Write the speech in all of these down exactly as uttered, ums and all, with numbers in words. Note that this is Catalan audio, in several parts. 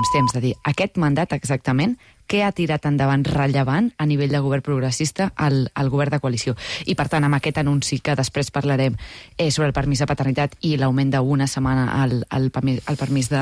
últims temps, de dir, aquest mandat exactament, què ha tirat endavant rellevant a nivell de govern progressista al, al govern de coalició. I, per tant, amb aquest anunci que després parlarem eh, sobre el permís de paternitat i l'augment d'una setmana al, al, permís, al permís de,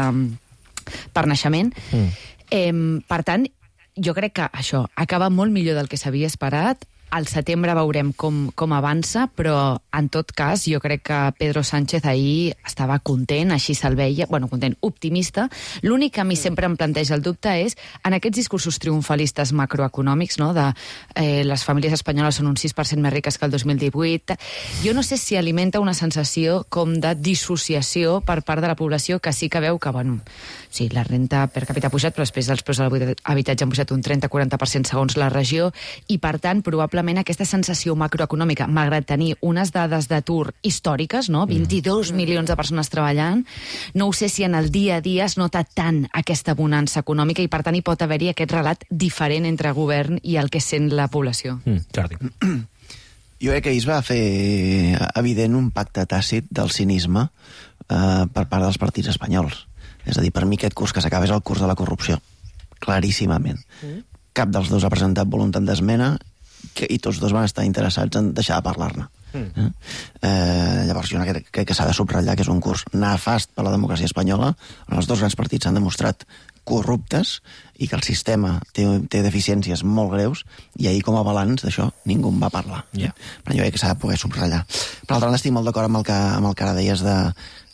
per naixement, mm. eh, per tant, jo crec que això acaba molt millor del que s'havia esperat. Al setembre veurem com, com avança, però en tot cas jo crec que Pedro Sánchez ahir estava content, així se'l veia, bueno, content, optimista. L'únic que a mi sempre em planteja el dubte és en aquests discursos triomfalistes macroeconòmics, no?, de eh, les famílies espanyoles són un sis per cent més riques que el dos mil divuit, jo no sé si alimenta una sensació com de dissociació per part de la població que sí que veu que, bueno, sí, la renta per capita ha pujat, però després els preus de l'habitatge han pujat un trenta a quaranta per cent segons la regió, i per tant, probablement aquesta sensació macroeconòmica, malgrat tenir unes dades d'atur històriques, no? vint-i-dos milions de persones treballant, no ho sé si en el dia a dia es nota tant aquesta bonança econòmica i per tant hi pot haver-hi aquest relat diferent entre govern i el que sent la població. Mm, Jordi. Jo crec que ahir es va fer evident un pacte tàcit del cinisme eh, per part dels partits espanyols. És a dir, per mi aquest curs que s'acaba és el curs de la corrupció, claríssimament. Mm. Cap dels dos ha presentat voluntat d'esmena que, i tots dos van estar interessats en deixar de parlar-ne. Mm. Eh, llavors jo crec, crec que s'ha de subratllar que és un curs nefast per a la democràcia espanyola, on els dos grans partits s'han demostrat corruptes i que el sistema té, té deficiències molt greus, i ahir com a balanç d'això ningú en va parlar. Yeah. Però jo crec que s'ha de poder subratllar. Per altra banda, estic molt d'acord amb el que, amb el que ara deies de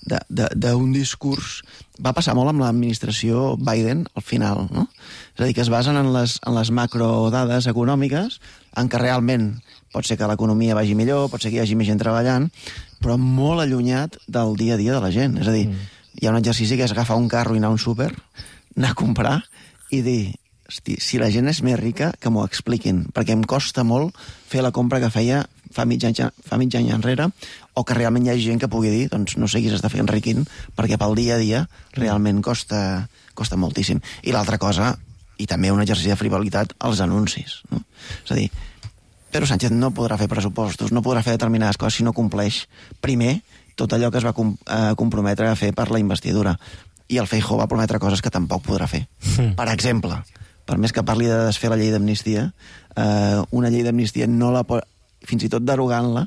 d'un discurs. Va passar molt amb l'administració Biden al final, no? És a dir, que es basen en les, en les macrodades econòmiques, en què realment pot ser que l'economia vagi millor, pot ser que hi hagi més gent treballant, però molt allunyat del dia a dia de la gent. És a dir, mm. hi ha un exercici que és agafar un carro i anar a un súper, anar a comprar i dir, hosti, si la gent és més rica, que m'ho expliquin, perquè em costa molt fer la compra que feia fa mig any, fa mig any enrere, o que realment hi hagi gent que pugui dir, doncs no sé qui s'està fent riquint, perquè pel dia a dia realment costa, costa moltíssim. I l'altra cosa, i també un exercici de frivolitat, els anuncis. No? És a dir, Pedro Sánchez no podrà fer pressupostos, no podrà fer determinades coses si no compleix primer tot allò que es va com, eh, comprometre a fer per la investidura. I el Feijóo va prometre coses que tampoc podrà fer. Mm. Per exemple, per més que parli de desfer la llei d'amnistia, eh, una llei d'amnistia no la pot, fins i tot derogant-la,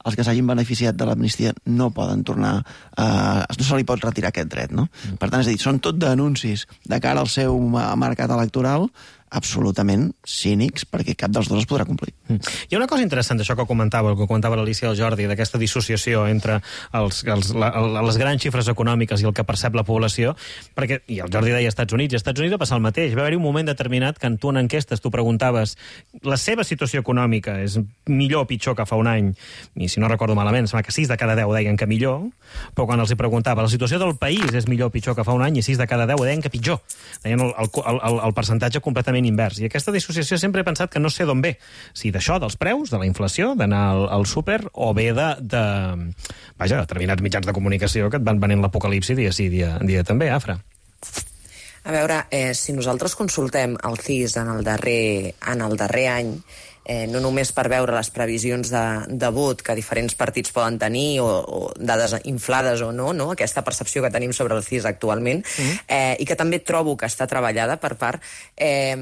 els que s'hagin beneficiat de l'amnistia no poden tornar, eh, no se li pot retirar aquest dret, no? Mm. Per tant, és a dir, són tot d'anuncis de cara al seu mercat electoral absolutament cínics, perquè cap dels dos es podrà complir. Mm. Hi ha una cosa interessant d'això que comentava, que comentava l'Alicia i el Jordi, d'aquesta dissociació entre els, els, la, les grans xifres econòmiques i el que percep la població, perquè, i el Jordi deia Estats Units, i als Estats Units va passar el mateix. Va haver-hi un moment determinat que en tu en enquestes tu preguntaves la seva situació econòmica és millor o pitjor que fa un any, i si no recordo malament, sembla que sis de cada deu deien que millor, però quan els hi preguntava la situació del país és millor o pitjor que fa un any, i sis de cada deu deien que pitjor. Deien el, el, el, el percentatge completament invers. I aquesta dissociació sempre he pensat que no sé d'on ve. Si d'això, dels preus, de la inflació, d'anar al, al súper, o bé de, de vaja, determinats mitjans de comunicació que et van venent l'apocalipsi dia sí, dia, dia també, Afra. A veure, eh, si nosaltres consultem el C I S en el darrer, en el darrer any, eh, no només per veure les previsions de, de vot que diferents partits poden tenir o, o dades inflades o no, no, aquesta percepció que tenim sobre el C I S actualment, mm. eh, i que també trobo que està treballada per part, eh,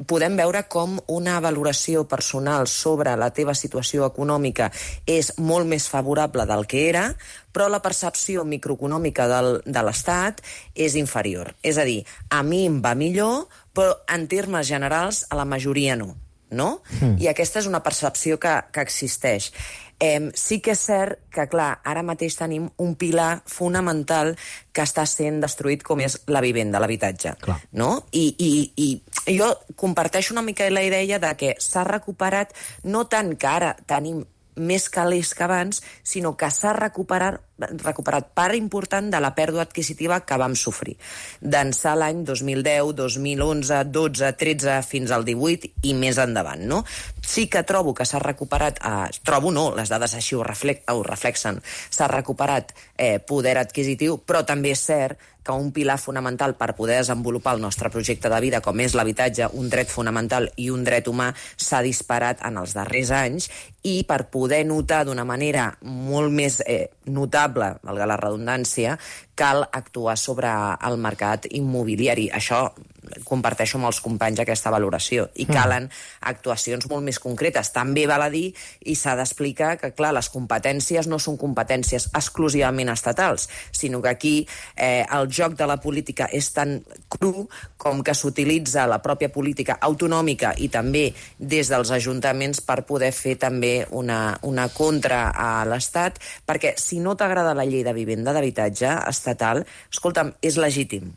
podem veure com una valoració personal sobre la teva situació econòmica és molt més favorable del que era, però la percepció microeconòmica del, de l'Estat és inferior. És a dir, a mi em va millor, però en termes generals a la majoria no. no? Mm. I aquesta és una percepció que, que existeix. Eh, sí que és cert que, clar, ara mateix tenim un pilar fonamental que està sent destruït, com és la vivenda, l'habitatge. No? I, i, I jo comparteixo una mica la idea de que s'ha recuperat, no tant que ara tenim més calés que abans, sinó que s'ha recuperat, recuperat part important de la pèrdua adquisitiva que vam sofrir. D'ençà l'any dos mil deu, dos mil onze, dotze, tretze, fins al divuit i més endavant, no? Sí que trobo que s'ha recuperat, eh, trobo no, les dades així ho, reflex, ho reflexen, s'ha recuperat eh, poder adquisitiu, però també és cert que un pilar fonamental per poder desenvolupar el nostre projecte de vida, com és l'habitatge, un dret fonamental i un dret humà, s'ha disparat en els darrers anys, i per poder notar d'una manera molt més eh, notable inevitable, valga la redundància, cal actuar sobre el mercat immobiliari. Això comparteixo amb els companys aquesta valoració. I calen actuacions molt més concretes. També val a dir, i s'ha d'explicar, que clar, les competències no són competències exclusivament estatals, sinó que aquí eh, el joc de la política és tan cru com que s'utilitza la pròpia política autonòmica i també des dels ajuntaments per poder fer també una, una contra a l'Estat, perquè si no t'agrada la llei de vivenda d'habitatge estatal, escolta'm, és legítim,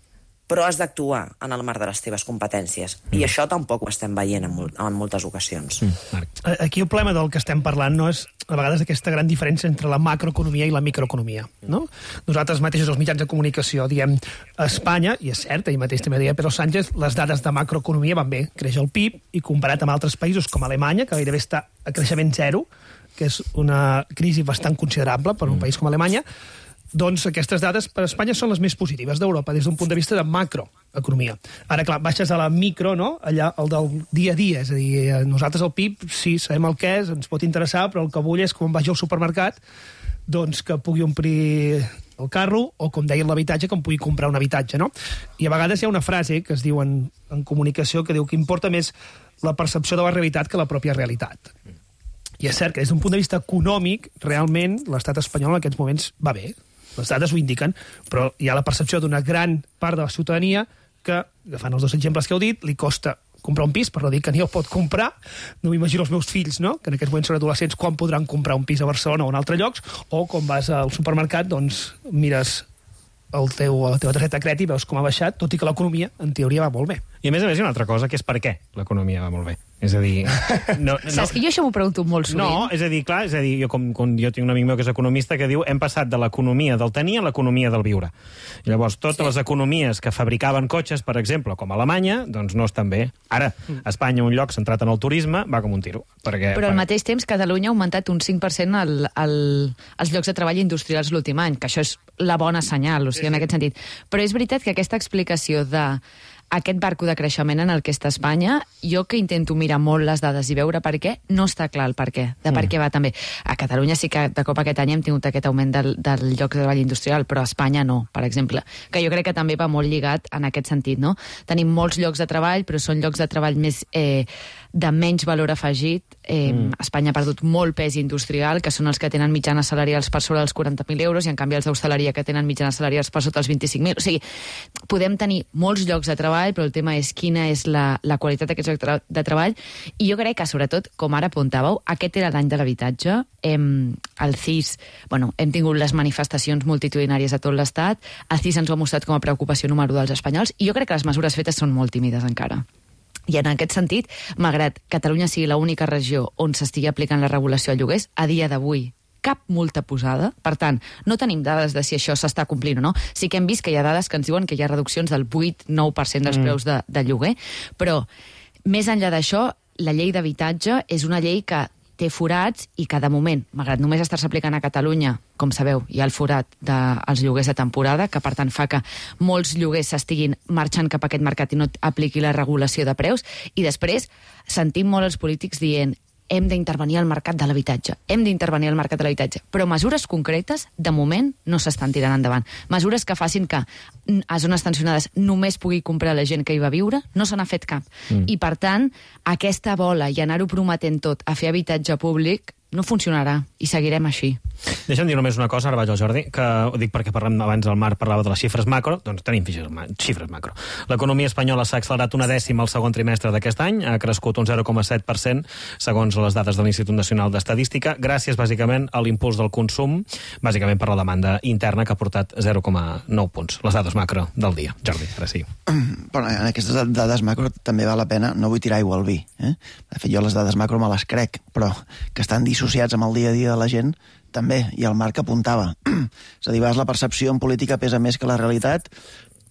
però has d'actuar en el marc de les teves competències. Mm. I això tampoc ho estem veient en, mol en moltes ocasions. Mm. Aquí el problema del que estem parlant no és, a vegades, aquesta gran diferència entre la macroeconomia i la microeconomia. No? Nosaltres mateixos, els mitjans de comunicació, diem a Espanya, i és cert, ahir mateix també deia Pedro Sánchez, les dades de macroeconomia van bé. Creix el P I B, i comparat amb altres països com Alemanya, que gairebé està a creixement zero, que és una crisi bastant considerable per un mm. país com Alemanya, doncs aquestes dades per a Espanya són les més positives d'Europa des d'un punt de vista de macroeconomia. Ara, clar, baixes a la micro, no? Allà, el del dia a dia, és a dir, nosaltres el P I B, sí, sabem el que és, ens pot interessar, però el que vull és, quan vagi al supermercat, doncs que pugui omplir el carro, o, com deia, l'habitatge, que em pugui comprar un habitatge, no? I a vegades hi ha una frase que es diu en, en comunicació que diu que importa més la percepció de la realitat que la pròpia realitat. I és cert que des d'un punt de vista econòmic, realment, l'estat espanyol en aquests moments va bé. Les dades ho indiquen, però hi ha la percepció d'una gran part de la ciutadania que, agafant els dos exemples que heu dit, li costa comprar un pis, per no dir que ni el pot comprar. No m'imagino els meus fills, no?, que en aquests moments són adolescents, quan podran comprar un pis a Barcelona o en altres llocs, o quan vas al supermercat, doncs mires el teu, la teva targeta de crèdit i veus com ha baixat, tot i que l'economia, en teoria, va molt bé. I a més a més hi ha una altra cosa, que és per què l'economia va molt bé. És a dir... No, no, Saps que jo això m'ho pregunto molt sovint? No, és a dir, clar, és a dir, jo, com, com jo tinc un amic meu que és economista que diu hem passat de l'economia del tenir a l'economia del viure. I llavors, totes sí. les economies que fabricaven cotxes, per exemple, com Alemanya, doncs no estan bé. Ara, a Espanya, un lloc centrat en el turisme, va com un tiro. Perquè, Però al per... mateix temps, Catalunya ha augmentat un cinc per cent el, el, els llocs de treball industrials l'últim any, que això és la bona senyal, o sigui, en aquest sentit. Però és veritat que aquesta explicació de aquest barco de creixement en el que està Espanya, jo que intento mirar molt les dades i veure per què, no està clar el per què, de per mm. què va també. A Catalunya sí que de cop aquest any hem tingut aquest augment del, del lloc de treball industrial, però a Espanya no, per exemple, que jo crec que també va molt lligat en aquest sentit, no? Tenim molts llocs de treball, però són llocs de treball més eh, de menys valor afegit. Eh, mm. Espanya ha perdut molt pes industrial, que són els que tenen mitjanes salarials per sobre dels quaranta mil euros, i en canvi els d'hostaleria que tenen mitjanes salarials per sota els vint-i-cinc mil. O sigui, podem tenir molts llocs de treball, però el tema és quina és la, la qualitat d'aquests llocs de treball. I jo crec que, sobretot, com ara apuntàveu, aquest era l'any de l'habitatge. Hem, el C I S, bueno, hem tingut les manifestacions multitudinàries a tot l'Estat, el C I S ens ho ha mostrat com a preocupació número dels espanyols, i jo crec que les mesures fetes són molt tímides encara. I en aquest sentit, malgrat Catalunya sigui l'única regió on s'estigui aplicant la regulació de lloguers, a dia d'avui cap multa posada. Per tant, no tenim dades de si això s'està complint o no. Sí que hem vist que hi ha dades que ens diuen que hi ha reduccions del vuit a nou per cent dels mm. preus de, de lloguer, però més enllà d'això, la llei d'habitatge és una llei que té forats i que, de moment, malgrat només estar-se aplicant a Catalunya, com sabeu, hi ha el forat dels lloguers de temporada, que per tant fa que molts lloguers s'estiguin marxant cap a aquest mercat i no apliqui la regulació de preus, i després sentim molt els polítics dient hem d'intervenir al mercat de l'habitatge, hem d'intervenir al mercat de l'habitatge, però mesures concretes, de moment, no s'estan tirant endavant. Mesures que facin que a zones tensionades només pugui comprar la gent que hi va viure, no se n'ha fet cap. Mm. I, per tant, aquesta bola i anar-ho prometent tot a fer habitatge públic no funcionarà, i seguirem així. Deixa'm dir només una cosa, ara vaig al Jordi, que ho dic perquè parlem abans el Marc parlava de les xifres macro, doncs tenim xifres macro. L'economia espanyola s'ha accelerat una dècima al segon trimestre d'aquest any, ha crescut un zero coma set per cent, segons les dades de l'Institut Nacional d'Estadística, gràcies bàsicament a l'impuls del consum, bàsicament per la demanda interna, que ha portat zero coma nou punts. Les dades macro del dia. Jordi, ara sí. Però en aquestes dades macro també val la pena, no vull tirar aigua al vi. Eh? De fet, jo les dades macro me les crec, però que estan dissociats amb el dia a dia de la gent, també, i el Marc apuntava. És a dir, a vegades la percepció en política pesa més que la realitat,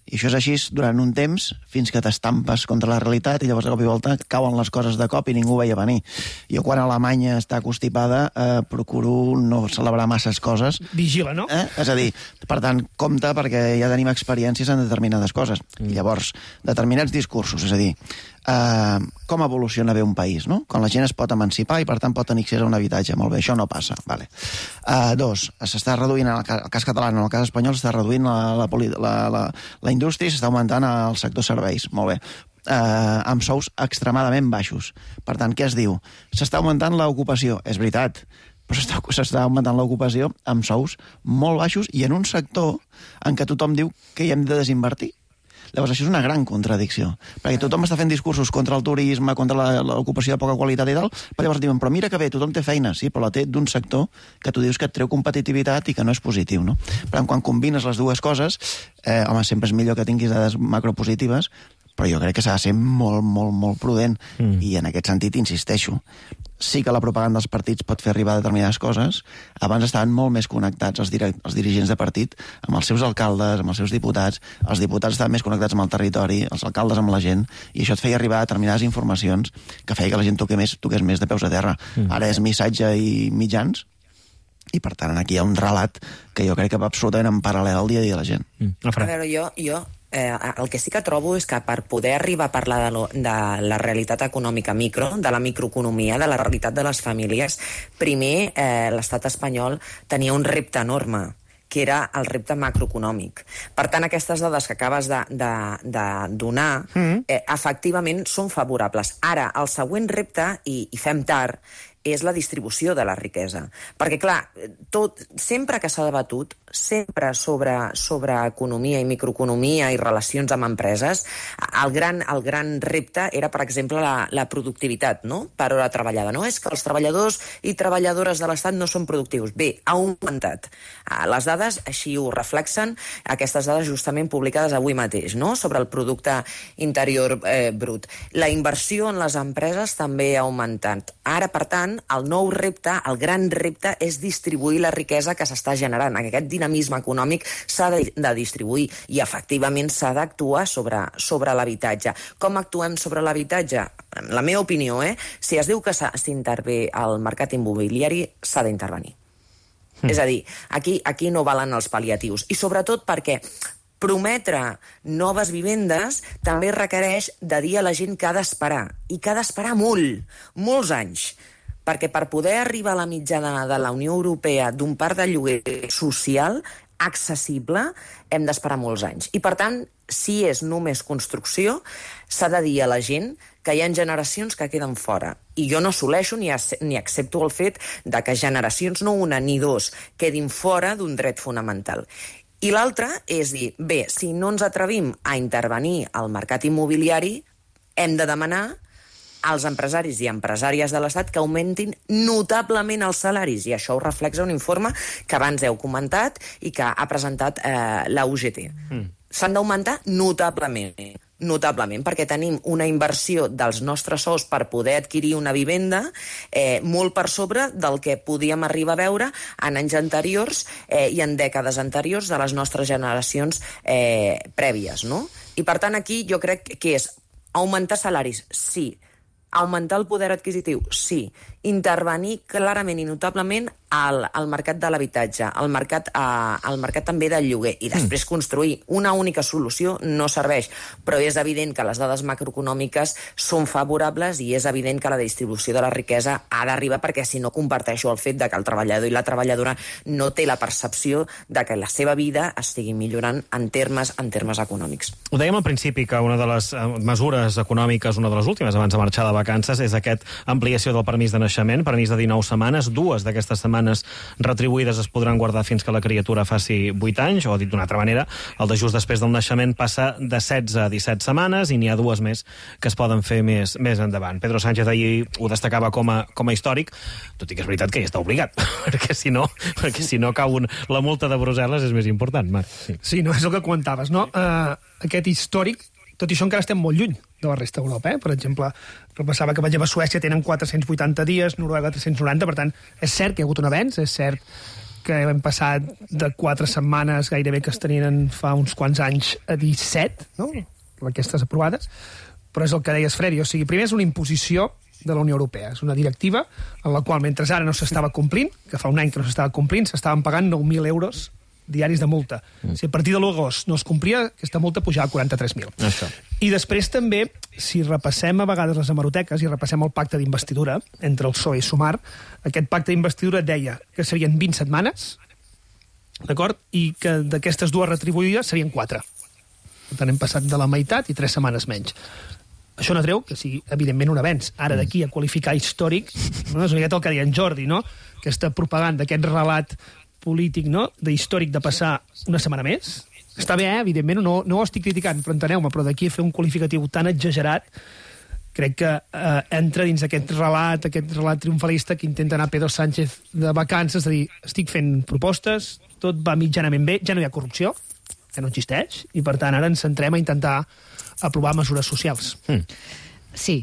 I això és així durant un temps, fins que t'estampes contra la realitat i llavors de cop i volta cauen les coses de cop i ningú veia venir. Jo quan Alemanya està constipada eh, procuro no celebrar masses coses. Vigila, no? Eh? És a dir, per tant, compte perquè ja tenim experiències en determinades coses. Mm. I llavors, determinats discursos, és a dir, eh, com evoluciona bé un país, no? Quan la gent es pot emancipar i per tant pot tenir accés a un habitatge. Molt bé, això no passa. Vale. Eh, dos, s'està reduint, en el cas, el cas català, en el cas espanyol, s'està reduint la, la, la, la, la indústria i s'està augmentant el sector serveis. Molt bé. Eh, amb sous extremadament baixos. Per tant, què es diu? S'està augmentant l'ocupació. És veritat, però s'està augmentant l'ocupació amb sous molt baixos i en un sector en què tothom diu que hi hem de desinvertir. Llavors, això és una gran contradicció, perquè tothom està fent discursos contra el turisme, contra l'ocupació de poca qualitat i tal, però llavors diuen, però mira que bé, tothom té feina, sí, però la té d'un sector que tu dius que et treu competitivitat i que no és positiu, no? Per tant, quan combines les dues coses, eh, home, sempre és millor que tinguis dades macropositives, però jo crec que s'ha de ser molt, molt, molt prudent, mm. i en aquest sentit insisteixo. Sí que la propaganda dels partits pot fer arribar determinades coses. Abans estaven molt més connectats els, direct, els dirigents de partit amb els seus alcaldes, amb els seus diputats. Els diputats estaven més connectats amb el territori, els alcaldes amb la gent, i això et feia arribar determinades informacions que feia que la gent toqués més, toqués més de peus a terra. Mm. Ara és missatge i mitjans, i per tant aquí hi ha un relat que jo crec que va absolutament en paral·lel al dia a dia de la gent. Mm. A veure, jo... jo... Eh, el que sí que trobo és que per poder arribar a parlar de, lo, de la realitat econòmica micro, de la microeconomia, de la realitat de les famílies, primer eh, l'estat espanyol tenia un repte enorme, que era el repte macroeconòmic. Per tant, aquestes dades que acabes de, de, de donar, mm. eh, efectivament són favorables. Ara, el següent repte, i, i fem tard, és la distribució de la riquesa. Perquè, clar, tot, sempre que s'ha debatut, sempre sobre, sobre economia i microeconomia i relacions amb empreses, el gran, el gran repte era, per exemple, la, la productivitat, no?, per hora treballada. No és que els treballadors i treballadores de l'Estat no són productius. Bé, ha augmentat. Les dades així ho reflexen, aquestes dades justament publicades avui mateix, no?, sobre el producte interior eh, brut. La inversió en les empreses també ha augmentat. Ara, per tant, el nou repte, el gran repte, és distribuir la riquesa que s'està generant. Aquest dinamisme econòmic s'ha de, de distribuir i, efectivament, s'ha d'actuar sobre, sobre l'habitatge. Com actuem sobre l'habitatge? La meva opinió, eh? Si es diu que s'intervé al mercat immobiliari, s'ha d'intervenir. Mm. És a dir, aquí, aquí no valen els pal·liatius. I, sobretot, perquè prometre noves vivendes també requereix de dir a la gent que ha d'esperar, i que ha d'esperar molt, molts anys, perquè per poder arribar a la mitjana de la Unió Europea d'un parc de lloguer social accessible hem d'esperar molts anys. I, per tant, si és només construcció, s'ha de dir a la gent que hi ha generacions que queden fora. I jo no assoleixo ni, ni accepto el fet de que generacions, no una ni dos, quedin fora d'un dret fonamental. I l'altre és dir, bé, si no ens atrevim a intervenir al mercat immobiliari, hem de demanar als empresaris i empresàries de l'Estat que augmentin notablement els salaris. I això ho reflexa un informe que abans heu comentat i que ha presentat eh, la U G T. Mm. S'han d'augmentar notablement. Notablement, perquè tenim una inversió dels nostres sous per poder adquirir una vivenda eh, molt per sobre del que podíem arribar a veure en anys anteriors eh, i en dècades anteriors de les nostres generacions eh, prèvies, no? I, per tant, aquí jo crec que és augmentar salaris, sí. Augmentar el poder adquisitiu, sí. Intervenir clarament i notablement al, al mercat de l'habitatge, al mercat, a, al mercat també del lloguer, i després construir. Una única solució no serveix, però és evident que les dades macroeconòmiques són favorables i és evident que la distribució de la riquesa ha d'arribar, perquè si no comparteixo el fet de que el treballador i la treballadora no té la percepció de que la seva vida estigui millorant en termes, en termes econòmics. Ho dèiem al principi, que una de les mesures econòmiques, una de les últimes abans de marxar de vacances, és aquest ampliació del permís de naixement, permís de dinou setmanes. Dues d'aquestes setmanes retribuïdes es podran guardar fins que la criatura faci vuit anys, o dit d'una altra manera, el de just després del naixement passa de setze a disset setmanes, i n'hi ha dues més que es poden fer més, més endavant. Pedro Sánchez ahir ho destacava com a, com a històric, tot i que és veritat que hi està obligat, perquè si no, perquè si no cau un, la multa de Brussel·les és més important, Marc. Sí, sí, no, és el que comentaves, no? Uh, aquest històric, tot i això encara estem molt lluny de la resta d'Europa, eh? Per exemple, repassava que, per exemple, Suècia tenen quatre-cents vuitanta dies, Noruega tres-cents noranta, per tant, és cert que hi ha hagut un avenç, és cert que hem passat de quatre setmanes gairebé que es tenien fa uns quants anys a disset, no? Aquestes aprovades, però és el que deies, Freddy, o sigui, primer és una imposició de la Unió Europea. És una directiva en la qual, mentre ara no s'estava complint, que fa un any que no s'estava complint, s'estaven pagant nou mil euros diaris de multa. Mm. Si a partir de l'agost no es complia, aquesta multa pujava a quaranta-tres mil. Això. I després també, si repassem a vegades les hemeroteques i repassem el pacte d'investidura entre el P S O E i Sumar, aquest pacte d'investidura deia que serien vint setmanes, d'acord? I que d'aquestes dues retribuïdes serien quatre. Per tant, hem passat de la meitat i tres setmanes menys. Això no treu que sigui, evidentment, un avenç. Ara, d'aquí a qualificar històric, no? És una miqueta el que deia en Jordi, no? Aquesta propaganda, aquest relat polític, no?, d'històric de passar una setmana més. Està bé, eh? Evidentment, no, no ho estic criticant, però enteneu-me, però d'aquí a fer un qualificatiu tan exagerat, crec que eh, entra dins aquest relat, aquest relat triomfalista que intenta anar Pedro Sánchez de vacances, és a dir, estic fent propostes, tot va mitjanament bé, ja no hi ha corrupció, que no existeix, i per tant ara ens centrem a intentar aprovar mesures socials. Mm. Sí,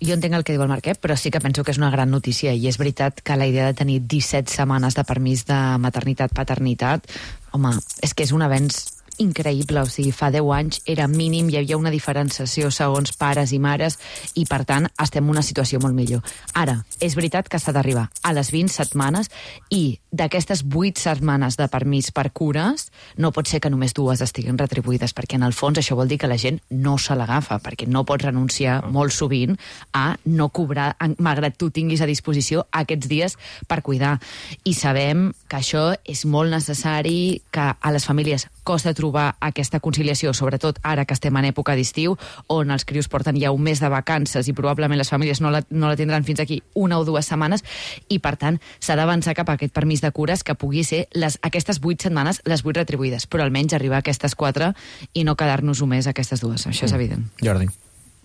jo entenc el que diu el Marc, eh? Però sí que penso que és una gran notícia i és veritat que la idea de tenir disset setmanes de permís de maternitat-paternitat, home, és que és un avenç increïble, o sigui, fa deu anys era mínim, hi havia una diferenciació segons pares i mares i, per tant, estem en una situació molt millor. Ara, és veritat que s'ha d'arribar a les vint setmanes i d'aquestes vuit setmanes de permís per cures no pot ser que només dues estiguin retribuïdes, perquè en el fons això vol dir que la gent no se l'agafa, perquè no pots renunciar molt sovint a no cobrar, malgrat tu tinguis a disposició aquests dies per cuidar. I sabem que això és molt necessari, que a les famílies costa trobar aquesta conciliació, sobretot ara que estem en època d'estiu, on els crios porten ja un mes de vacances i probablement les famílies no la, no la tindran fins aquí una o dues setmanes, i per tant s'ha d'avançar cap a aquest permís de cures que pugui ser les, aquestes vuit setmanes, les vuit retribuïdes, però almenys arribar a aquestes quatre i no quedar-nos només a aquestes dues. Això és evident. Jordi.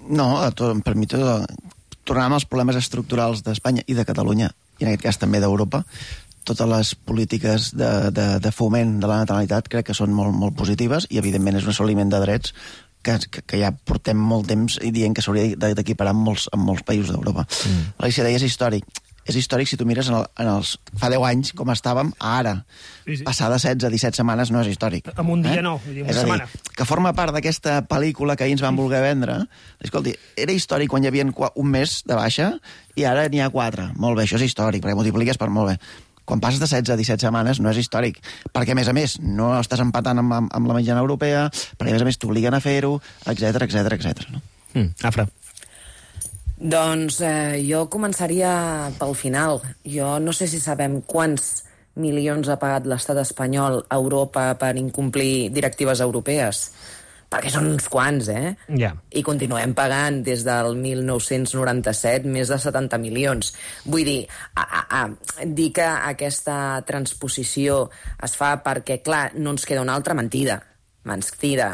No, tot, per mi tot, tornant als problemes estructurals d'Espanya i de Catalunya, i en aquest cas també d'Europa, totes les polítiques de, de, de foment de la natalitat crec que són molt, molt positives i, evidentment, és un assoliment de drets que, que, que ja portem molt temps i dient que s'hauria d'equiparar en molts, en molts països d'Europa. Mm. L'Alícia deia, és històric. És històric si tu mires en, el, en els... Fa deu anys, com estàvem, a ara. Sí, sí. Passar de setze a disset setmanes no és històric. En un dia eh? no, vull dir, una és setmana. Dir, que forma part d'aquesta pel·lícula que ahir ens van voler vendre. Escolti, era històric quan hi havia un mes de baixa i ara n'hi ha quatre. Molt bé, això és històric, perquè multipliques per molt bé. Quan passes de setze a disset setmanes no és històric, perquè, a més a més, no estàs empatant amb, amb, amb la mitjana europea, perquè, a més a més, t'obliguen a fer-ho, etcètera, etcètera, etcètera. No? Mm, Afra. Doncs eh, jo començaria pel final. Jo no sé si sabem quants milions ha pagat l'estat espanyol a Europa per incomplir directives europees, perquè són uns quants, eh? Yeah. I continuem pagant des del mil nou-cents noranta-set més de setanta milions. Vull dir, a, a, a, dir que aquesta transposició es fa perquè, clar, no ens queda una altra mentida. Ens queda,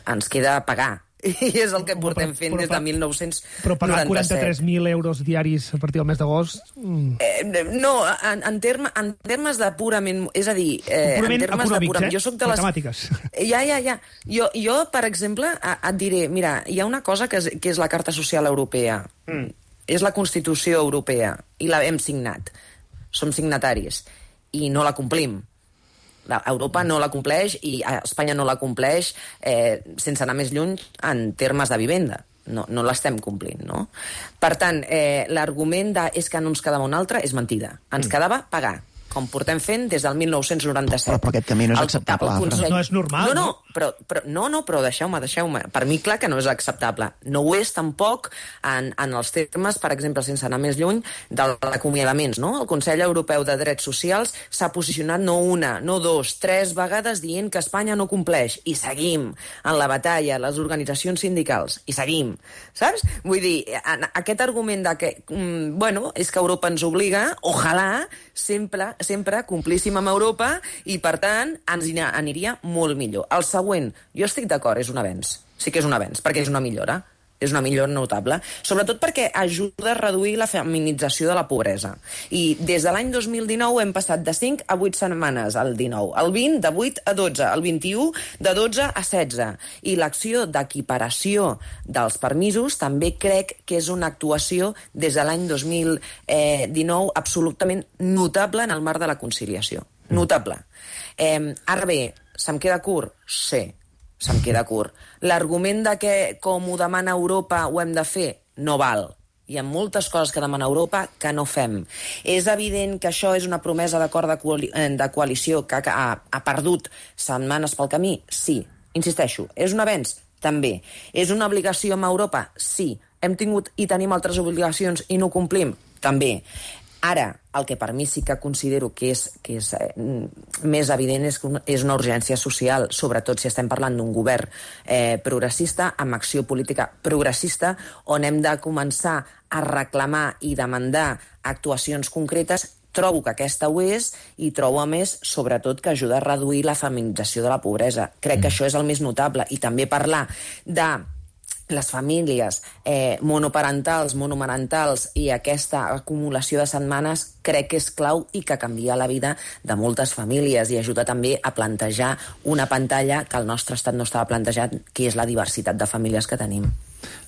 ens queda pagar. I és el que portem fent des de mil nou-cents noranta-set. Però pagar quaranta-tres mil euros diaris a partir del mes d'agost... Mm. Eh, no, en, en, terme, en termes de purament... És a dir, eh, purament en termes de purament... Eh? Jo soc de les... Matemàtiques. Ja, ja, ja. Jo, jo per exemple, et diré, mira, hi ha una cosa que és, que és la Carta Social Europea. Mm. És la Constitució Europea, i la hem signat. Som signataris. I no la complim. Europa no la compleix i Espanya no la compleix eh, sense anar més lluny en termes de vivenda. No, no l'estem complint, no? Per tant, eh, l'argument de és que no ens quedava un altre és mentida. Ens mm. quedava pagar, com portem fent des del mil nou-cents noranta-set. Però, però aquest camí no és acceptable. Consell... No és normal, no? No, no, però, però, no, no, però deixeu-me, deixeu-me. Per mi, clar que no és acceptable. No ho és tampoc en, en els termes, per exemple, sense anar més lluny, dels acomiadaments, no? El Consell Europeu de Drets Socials s'ha posicionat no una, no dos, tres vegades dient que Espanya no compleix. I seguim en la batalla, les organitzacions sindicals. I seguim, saps? Vull dir, aquest argument de que, mm, bueno, és que Europa ens obliga, ojalà, sempre sempre complíssim amb Europa i, per tant, ens aniria molt millor. El següent, jo estic d'acord, és un avenç. Sí que és un avenç, perquè és una millora. És una millora notable. Sobretot perquè ajuda a reduir la feminització de la pobresa. I des de l'any dos mil dinou hem passat de cinc a vuit setmanes, el dinou. El vint, de vuit a dotze. El vint-i-u, de dotze a setze. I l'acció d'equiparació dels permisos també crec que és una actuació des de l'any dos mil dinou absolutament notable en el marc de la conciliació. notable. Eh, ara bé, se'm queda curt? Sí, se'm queda curt. L'argument de que, com ho demana Europa, ho hem de fer, no val. Hi ha moltes coses que demana Europa que no fem. És evident que això és una promesa d'acord de, coali de coalició que ha, ha perdut setmanes pel camí? Sí. Insisteixo, és un avenç? També. És una obligació amb Europa? Sí. Hem tingut i tenim altres obligacions i no complim? També. Ara, el que per mi sí que considero que és, que és eh, més evident és que és una urgència social, sobretot si estem parlant d'un govern eh, progressista, amb acció política progressista, on hem de començar a reclamar i demandar actuacions concretes. Trobo que aquesta ho és i trobo, a més, sobretot, que ajuda a reduir la feminització de la pobresa. Crec mm. que això és el més notable. I també parlar de les famílies eh, monoparentals, monomarentals i aquesta acumulació de setmanes crec que és clau i que canvia la vida de moltes famílies i ajuda també a plantejar una pantalla que el nostre estat no estava plantejat, que és la diversitat de famílies que tenim.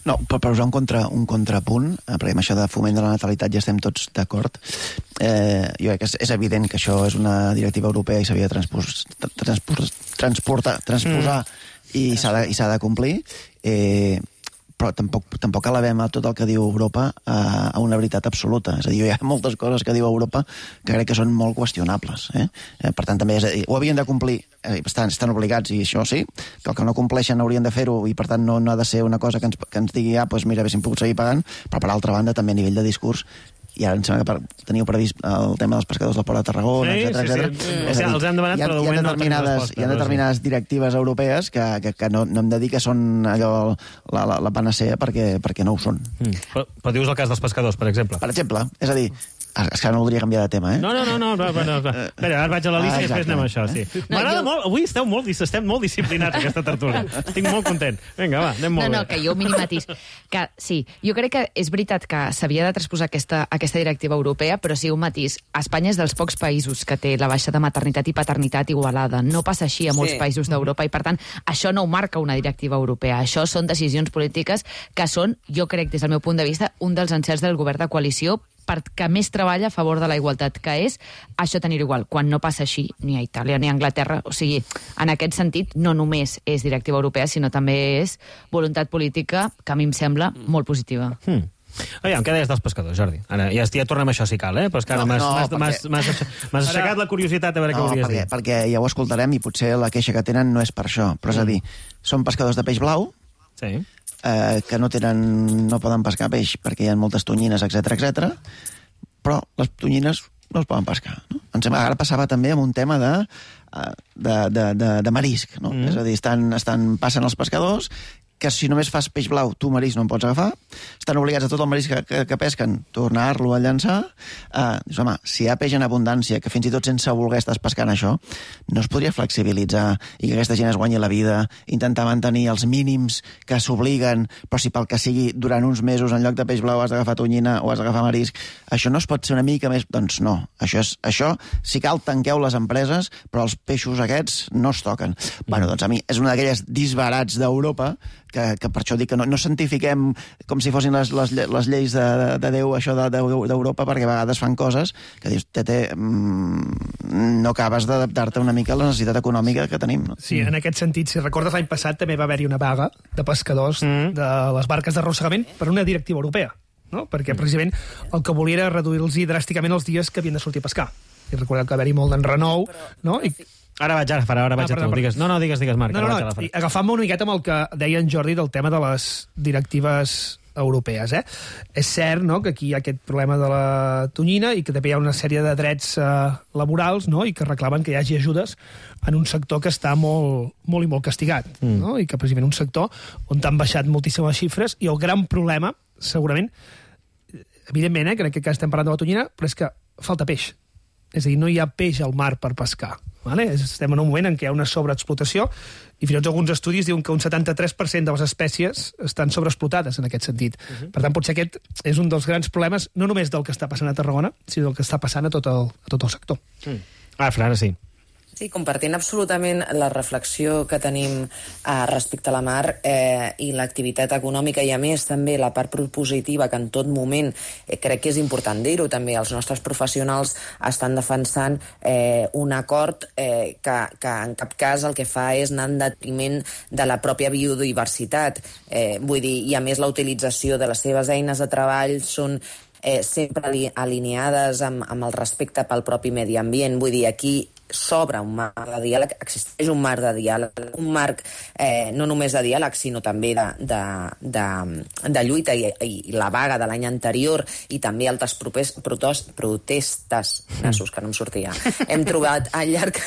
No, per, per usar un, contra, un contrapunt, perquè amb això de foment de la natalitat ja estem tots d'acord, eh, jo crec que és, és evident que això és una directiva europea i s'havia de transpos, transpos, transportar, transposar mm. i s'ha de, i s'ha de complir, eh, però tampoc, tampoc elevem a tot el que diu Europa a, a una veritat absoluta. És a dir, hi ha moltes coses que diu Europa que crec que són molt qüestionables. Eh? Eh, per tant, també és a dir, ho havien de complir, eh, estan, estan obligats, i això sí, que el que no compleixen haurien de fer-ho, i per tant no, no ha de ser una cosa que ens, que ens digui, ah, doncs mira, haguéssim pogut seguir pagant, però per altra banda també a nivell de discurs, i ara em sembla que per, teniu previst el tema dels pescadors del Port de Tarragona, sí, etcètera, sí, etcètera. sí. Mm. O sigui, els han demanat, hi ha, però de hi ha moment no determinades, tenen resposta, hi ha determinades no, sí. directives europees que, que, que no, no hem de dir que són allò, la, la, la panacea perquè, perquè no ho són. Mm. Però, però dius el cas dels pescadors, per exemple. Per exemple, és a dir, és que no voldria canviar de tema, eh? No, no, no, no, no, no, no. Espera, ara vaig a l'Alicia ah, i després anem a això, sí. M'agrada jo... molt, avui esteu molt, estem molt disciplinats, aquesta tertúlia. Estic molt content. Vinga, va, anem molt no, bé. No, no, que jo mini matís. Que, sí, jo crec que és veritat que s'havia de transposar aquesta, aquesta directiva europea, però sí, un matís. Espanya és dels pocs països que té la baixa de maternitat i paternitat igualada. No passa així a molts sí. països d'Europa i, per tant, això no ho marca una directiva europea. Això són decisions polítiques que són, jo crec, des del meu punt de vista, un dels encerts del govern de coalició perquè més treballa a favor de la igualtat, que és això tenir-ho igual, quan no passa així ni a Itàlia ni a Anglaterra. O sigui, en aquest sentit, no només és directiva europea, sinó també és voluntat política, que a mi em sembla molt positiva. Hmm. Aviam, què deies dels pescadors, Jordi? Ara, ja, ja tornem a això si cal, eh? Però és que ara no, m'has no, perquè... aixecat la curiositat a veure no, què volies perquè, dir. Perquè ja ho escoltarem i potser la queixa que tenen no és per això, però és a dir, són pescadors de peix blau, sí. eh, que no tenen, no poden pescar peix perquè hi ha moltes tonyines, etcètera, etcètera, però les tonyines no es poden pescar. No? Em sembla que ara passava també amb un tema de, de, de, de, de marisc. No? Mm. És a dir, estan, estan, passen els pescadors que si només fas peix blau, tu marisc no en pots agafar, estan obligats a tot el marisc que, que, que pesquen tornar-lo a llançar. Uh, dius, home, si hi ha peix en abundància, que fins i tot sense voler estàs pescant això, no es podria flexibilitzar i que aquesta gent es guanyi la vida, intentar mantenir els mínims que s'obliguen, però si pel que sigui durant uns mesos en lloc de peix blau has d'agafar tonyina o has d'agafar marisc, això no es pot ser una mica més... Doncs no, això, és, això si cal tanqueu les empreses, però els peixos aquests no es toquen. Mm. Bueno, doncs a mi és una d'aquelles disbarats d'Europa que, que per això dic que no, no santifiquem com si fossin les, les, les lleis de, de Déu, això d'Europa, perquè a vegades fan coses que dius, tete, mm, no acabes d'adaptar-te una mica a la necessitat econòmica que tenim. No? Sí, en aquest sentit, si recordes l'any passat també va haver-hi una vaga de pescadors mm. de les barques d'arrossegament per una directiva europea, no? Perquè precisament el que volia era reduir-los dràsticament els dies que havien de sortir a pescar. I recordeu que va haver-hi molt d'enrenou, no? I Ara vaig, ara, ara vaig ah, a tu. Digues, no, no, digues, digues, Marc. No, no, no, agafant-me una miqueta amb el que deia en Jordi del tema de les directives europees, eh? És cert, no?, que aquí hi ha aquest problema de la tonyina i que també hi ha una sèrie de drets eh, laborals, no?, i que reclamen que hi hagi ajudes en un sector que està molt, molt i molt castigat, mm. no?, i que precisament un sector on t'han baixat moltíssimes xifres i el gran problema, segurament, evidentment, eh, crec que estem parlant de la tonyina, però és que falta peix. És a dir, no hi ha peix al mar per pescar. Vale? Estem en un moment en què hi ha una sobreexplotació i fins i tot alguns estudis diuen que un setanta-tres per cent de les espècies estan sobreexplotades en aquest sentit. Uh-huh. Per tant, potser aquest és un dels grans problemes, no només del que està passant a Tarragona, sinó del que està passant a tot el, a tot el sector. Mm. Ah, Fran, sí. Sí, compartint absolutament la reflexió que tenim eh, respecte a la mar eh, i l'activitat econòmica, i a més també la part propositiva, que en tot moment eh, crec que és important dir-ho també, els nostres professionals estan defensant eh, un acord eh, que, que en cap cas el que fa és anar en detriment de la pròpia biodiversitat. Eh, vull dir, i a més la utilització de les seves eines de treball són eh, sempre alineades amb, amb el respecte pel propi medi ambient. Vull dir, aquí s'obre un marc de diàleg, existeix un marc de diàleg, un marc eh, no només de diàleg, sinó també de, de, de, de lluita, i, i la vaga de l'any anterior i també altres propers, protos, protestes, nassos, que no em sortia, hem trobat al llarg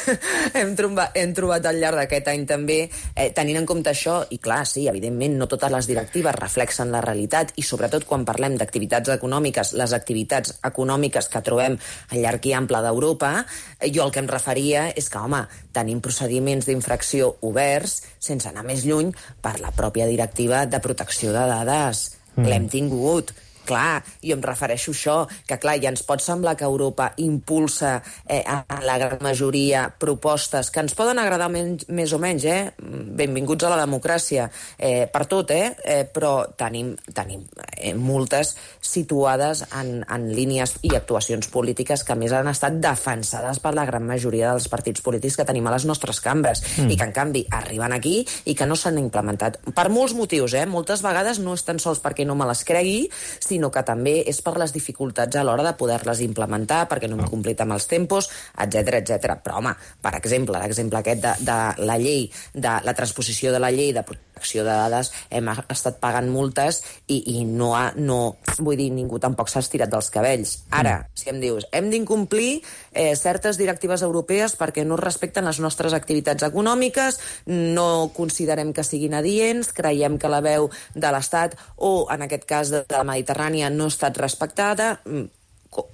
hem, trobat, hem trobat al llarg d'aquest any també, eh, tenint en compte això, i clar, sí, evidentment, no totes les directives reflexen la realitat, i sobretot quan parlem d'activitats econòmiques, les activitats econòmiques que trobem al llarg i ample d'Europa, eh, jo el que em referia és que, home, tenim procediments d'infracció oberts, sense anar més lluny, per la pròpia directiva de protecció de dades. Mm. L'hem tingut. Clar, jo em refereixo a això, que clar, ja ens pot semblar que Europa impulsa eh, a la gran majoria propostes que ens poden agradar menys, més o menys, eh? Benvinguts a la democràcia, eh, per tot, eh? eh però tenim, tenim eh, multes situades en, en línies i actuacions polítiques que a més han estat defensades per la gran majoria dels partits polítics que tenim a les nostres cambres, mm. i que en canvi arriben aquí i que no s'han implementat. Per molts motius, eh? Moltes vegades no és tan sols perquè no me les cregui, sinó que també és per les dificultats a l'hora de poder-les implementar, perquè no hem complit amb els tempos, etcètera, etcètera. Però, home, per exemple, l'exemple aquest de, de la llei, de la transposició de la llei de protecció de dades, hem estat pagant multes i, i no, ha, no, vull dir, ningú tampoc s'ha estirat dels cabells. Ara, si em dius, hem d'incomplir eh, certes directives europees perquè no respecten les nostres activitats econòmiques, no considerem que siguin adients, creiem que la veu de l'Estat, o en aquest cas de la Mediterrània, no ha estat respectada,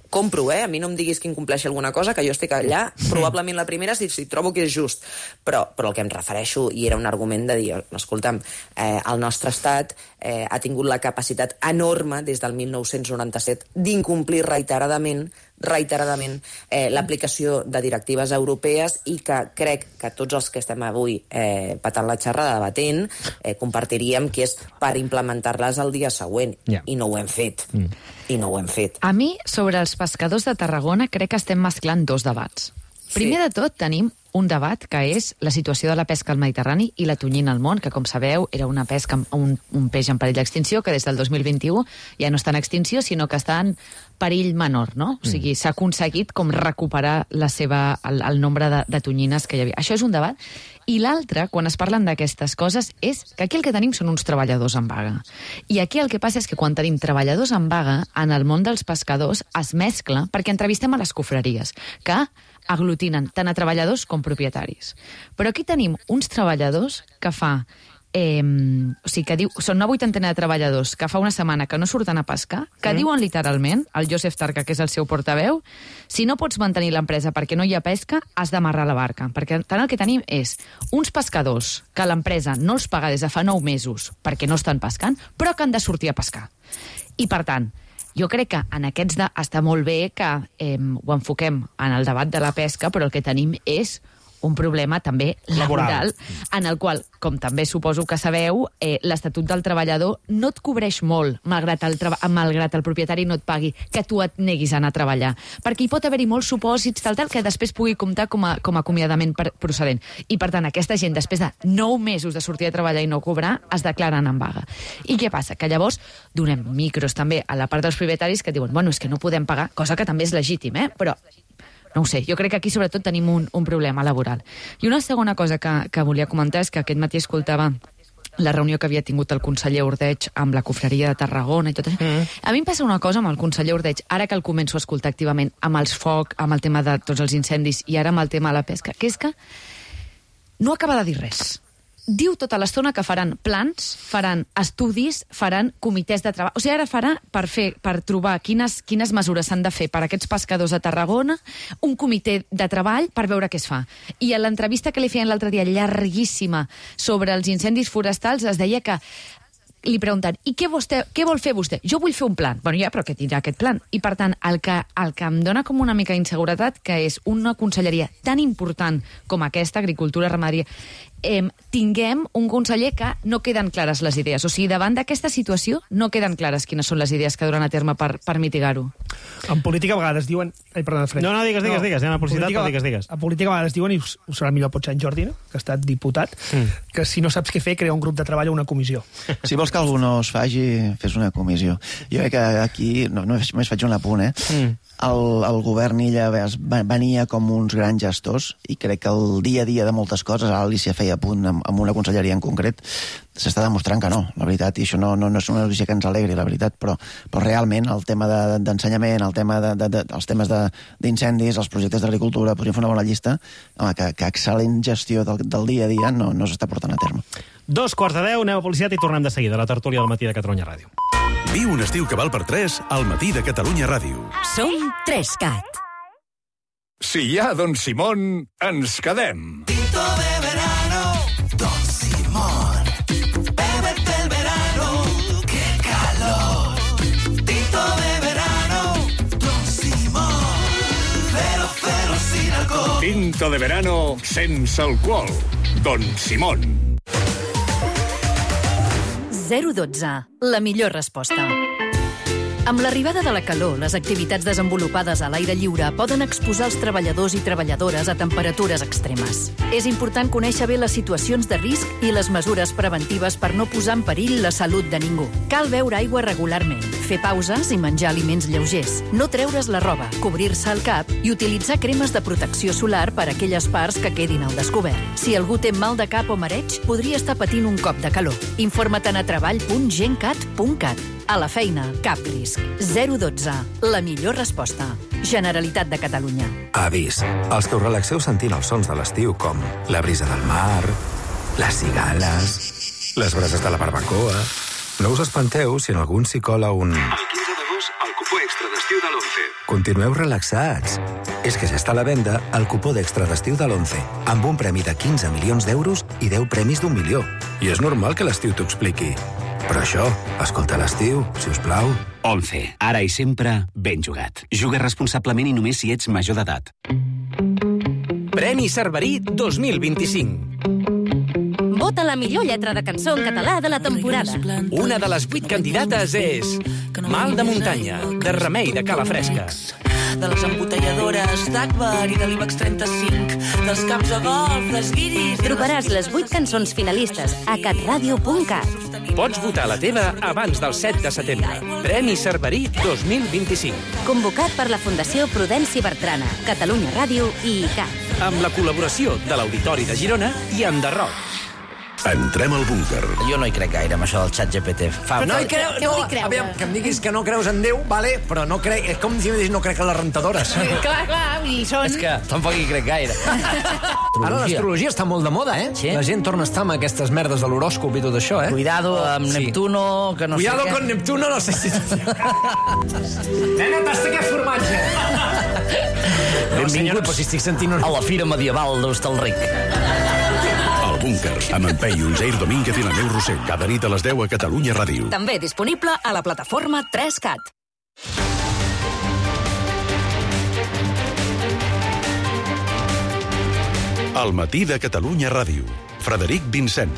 compro, eh? A mi no em diguis que incompleixi alguna cosa, que jo estic allà, probablement la primera, si, si trobo que és just. Però, però el que em refereixo, i era un argument de dir, escolta'm, eh, el nostre estat eh, ha tingut la capacitat enorme des del mil nou-cents noranta-set d'incomplir reiteradament reiteradament eh, l'aplicació de directives europees, i que crec que tots els que estem avui eh, patant la xerrada debatent eh, compartiríem que és per implementar-les el dia següent, yeah. i no ho hem fet. Mm. I no ho hem fet. A mi, sobre els pescadors de Tarragona, crec que estem mesclant dos debats. Sí. Primer de tot, tenim un debat que és la situació de la pesca al Mediterrani i la tonyina al món, que, com sabeu, era una pesca, un, un peix en perill d'extinció, que des del dos mil vint-i-u ja no està en extinció, sinó que està en perill menor, no? O sigui, s'ha aconseguit com recuperar la seva, el, el nombre de, de tonyines que hi havia. Això és un debat. I l'altre, quan es parlen d'aquestes coses, és que aquí el que tenim són uns treballadors en vaga. I aquí el que passa és que quan tenim treballadors en vaga, en el món dels pescadors es mescla, perquè entrevistem a les cofreries, que aglutinen tant a treballadors com propietaris. Però aquí tenim uns treballadors que fa... Eh, o sigui, que diu, són una vuitantena de treballadors que fa una setmana que no surten a pescar, que mm. diuen literalment, el Josep Tarca, que és el seu portaveu, si no pots mantenir l'empresa perquè no hi ha pesca, has d'amarrar la barca. Perquè tant el que tenim és uns pescadors que l'empresa no els paga des de fa nou mesos perquè no estan pescant, però que han de sortir a pescar. I, per tant, jo crec que en aquests de... està molt bé que eh, ho enfoquem en el debat de la pesca, però el que tenim és un problema també laboral, en el qual, com també suposo que sabeu, eh, l'Estatut del Treballador no et cobreix molt, malgrat el, malgrat el propietari no et pagui, que tu et neguis a anar a treballar. Perquè hi pot haver-hi molts supòsits, tal, tal, que després pugui comptar com a, com a acomiadament per, procedent. I, per tant, aquesta gent, després de nou mesos de sortir a treballar i no cobrar, es declaren en vaga. I què passa? Que llavors donem micros també a la part dels propietaris que diuen, bueno, és que no podem pagar, cosa que també és legítim, eh? Però no ho sé, jo crec que aquí sobretot tenim un, un problema laboral. I una segona cosa que, que volia comentar és que aquest matí escoltava la reunió que havia tingut el conseller Ordeig amb la cofreria de Tarragona i tot això. Mm. A mi em passa una cosa amb el conseller Ordeig, ara que el començo a escoltar activament, amb els foc, amb el tema de tots els incendis i ara amb el tema de la pesca, que és que no acaba de dir res. Diu tota l'estona que faran plans, faran estudis, faran comitès de treball. O sigui, ara farà per fer, per trobar quines, quines mesures s'han de fer per a aquests pescadors de Tarragona, un comitè de treball per veure què es fa. I a l'entrevista que li feien l'altre dia, llarguíssima, sobre els incendis forestals, es deia que li pregunten, i què, vostè, què vol fer vostè? Jo vull fer un plan. Bueno, ja, però què tindrà aquest plan? I, per tant, el que, el que em dona com una mica d'inseguretat, que és una conselleria tan important com aquesta, agricultura, ramaderia, eh, tinguem un conseller que no queden clares les idees. O sigui, davant d'aquesta situació no queden clares quines són les idees que duran a terme per, per mitigar-ho. En política a vegades diuen... Ai, perdona, Fred. No, no, digues, digues, no, digues. Anem a publicitat, però digues, digues. A política a vegades diuen, i us, us serà millor potser en Jordi, no? Que ha estat diputat, mm. que si no saps què fer, crea un grup de treball o una comissió. Si vols que algú no es faci, fes una comissió. Jo crec que aquí, no, només faig un apunt, eh? Mm. El, el govern Illa venia com uns grans gestors i crec que el dia a dia de moltes coses, ara l'Alícia feia punt amb, amb una conselleria en concret, s'està demostrant que no, la veritat, i això no, no, no és una notícia que ens alegri, la veritat, però, però realment el tema d'ensenyament, de, el tema de, de, de, els temes d'incendis, els projectes d'agricultura, podríem fer una bona llista, home, que, que excel·lent gestió del, del dia a dia no, no s'està portant a terme. Dos quarts de deu, anem a publicitat i tornem de seguida a la tertúlia del matí de Catalunya Ràdio. Viu un estiu que val per tres al matí de Catalunya Ràdio. Som tres cat. Si hi ha Don Simón, ens quedem. Tinto de verano, Don Simón. Bébete el verano, qué calor. Tinto de verano, Don Simón. Cero, cero sin alcohol. Tinto de verano sense alcohol. Don Simón. zero dotze. La millor resposta. Amb l'arribada de la calor, les activitats desenvolupades a l'aire lliure poden exposar els treballadors i treballadores a temperatures extremes. És important conèixer bé les situacions de risc i les mesures preventives per no posar en perill la salut de ningú. Cal beure aigua regularment, fer pauses i menjar aliments lleugers, no treure's la roba, cobrir-se el cap i utilitzar cremes de protecció solar per a aquelles parts que quedin al descobert. Si algú té mal de cap o mareig, podria estar patint un cop de calor. Informa't a treball punt gencat punt cat. A la feina, cap risc. zero dotze. La millor resposta. Generalitat de Catalunya. Avís. Els que us relaxeu sentint els sons de l'estiu, com la brisa del mar, les cigales, les brases de la barbacoa... No us espanteu si en algun s'hi cola un... El quinze d'agost, el cupó extra d'estiu de l'Once. Continueu relaxats. És que ja està a la venda el cupó d'extra d'estiu de l'Once, amb un premi de quinze milions d'euros i deu premis d'un milió. I és normal que l'estiu t'ho expliqui. Però això, escolta l'estiu, si us plau. Once. Ara i sempre, ben jugat. Juga responsablement i només si ets major d'edat. Premi Cerverí dos mil vint-i-cinc. Vota la millor lletra de cançó en català de la temporada. Una de les vuit candidates és Mal de muntanya, de Remei de Calafresca. De les embotelladores d'Akbar i de l'Ibex trenta-cinc, dels camps de golf, dels guiris... Trobaràs les vuit cançons finalistes a catradio punt cat. Pots votar la teva abans del set de setembre. Premi Cerverí dos mil vint-i-cinc. Convocat per la Fundació Prudenci Bertrana, Catalunya Ràdio i I C A. Amb la col·laboració de l'Auditori de Girona i Enderroc. Entrem al búnquer. Jo no hi crec gaire, amb això del xat G P T. Fa... No hi creu... No, a veure, que em diguis que no creus en Déu, vale, però no crec... És com si em diguis no crec en les rentadores. Clar, clar, i són... És que tampoc hi crec gaire. Ara l'astrologia està molt de moda, eh? Sí? La gent torna a estar amb aquestes merdes de l'horòscop i tot això, eh? Cuidado amb sí. Neptuno, que no Cuidado sé con què. Neptuno, no sé si... Nena, tasta aquest formatge! Benvingut, però si estic sentint... A la fira medieval d'Hostalric. El búnquer, amb en Peyu, Jair Domínguez i la Neu Rossell. Cada nit a les deu a Catalunya Ràdio. També disponible a la plataforma tres cat. Al matí de Catalunya Ràdio. Frederic Vincent.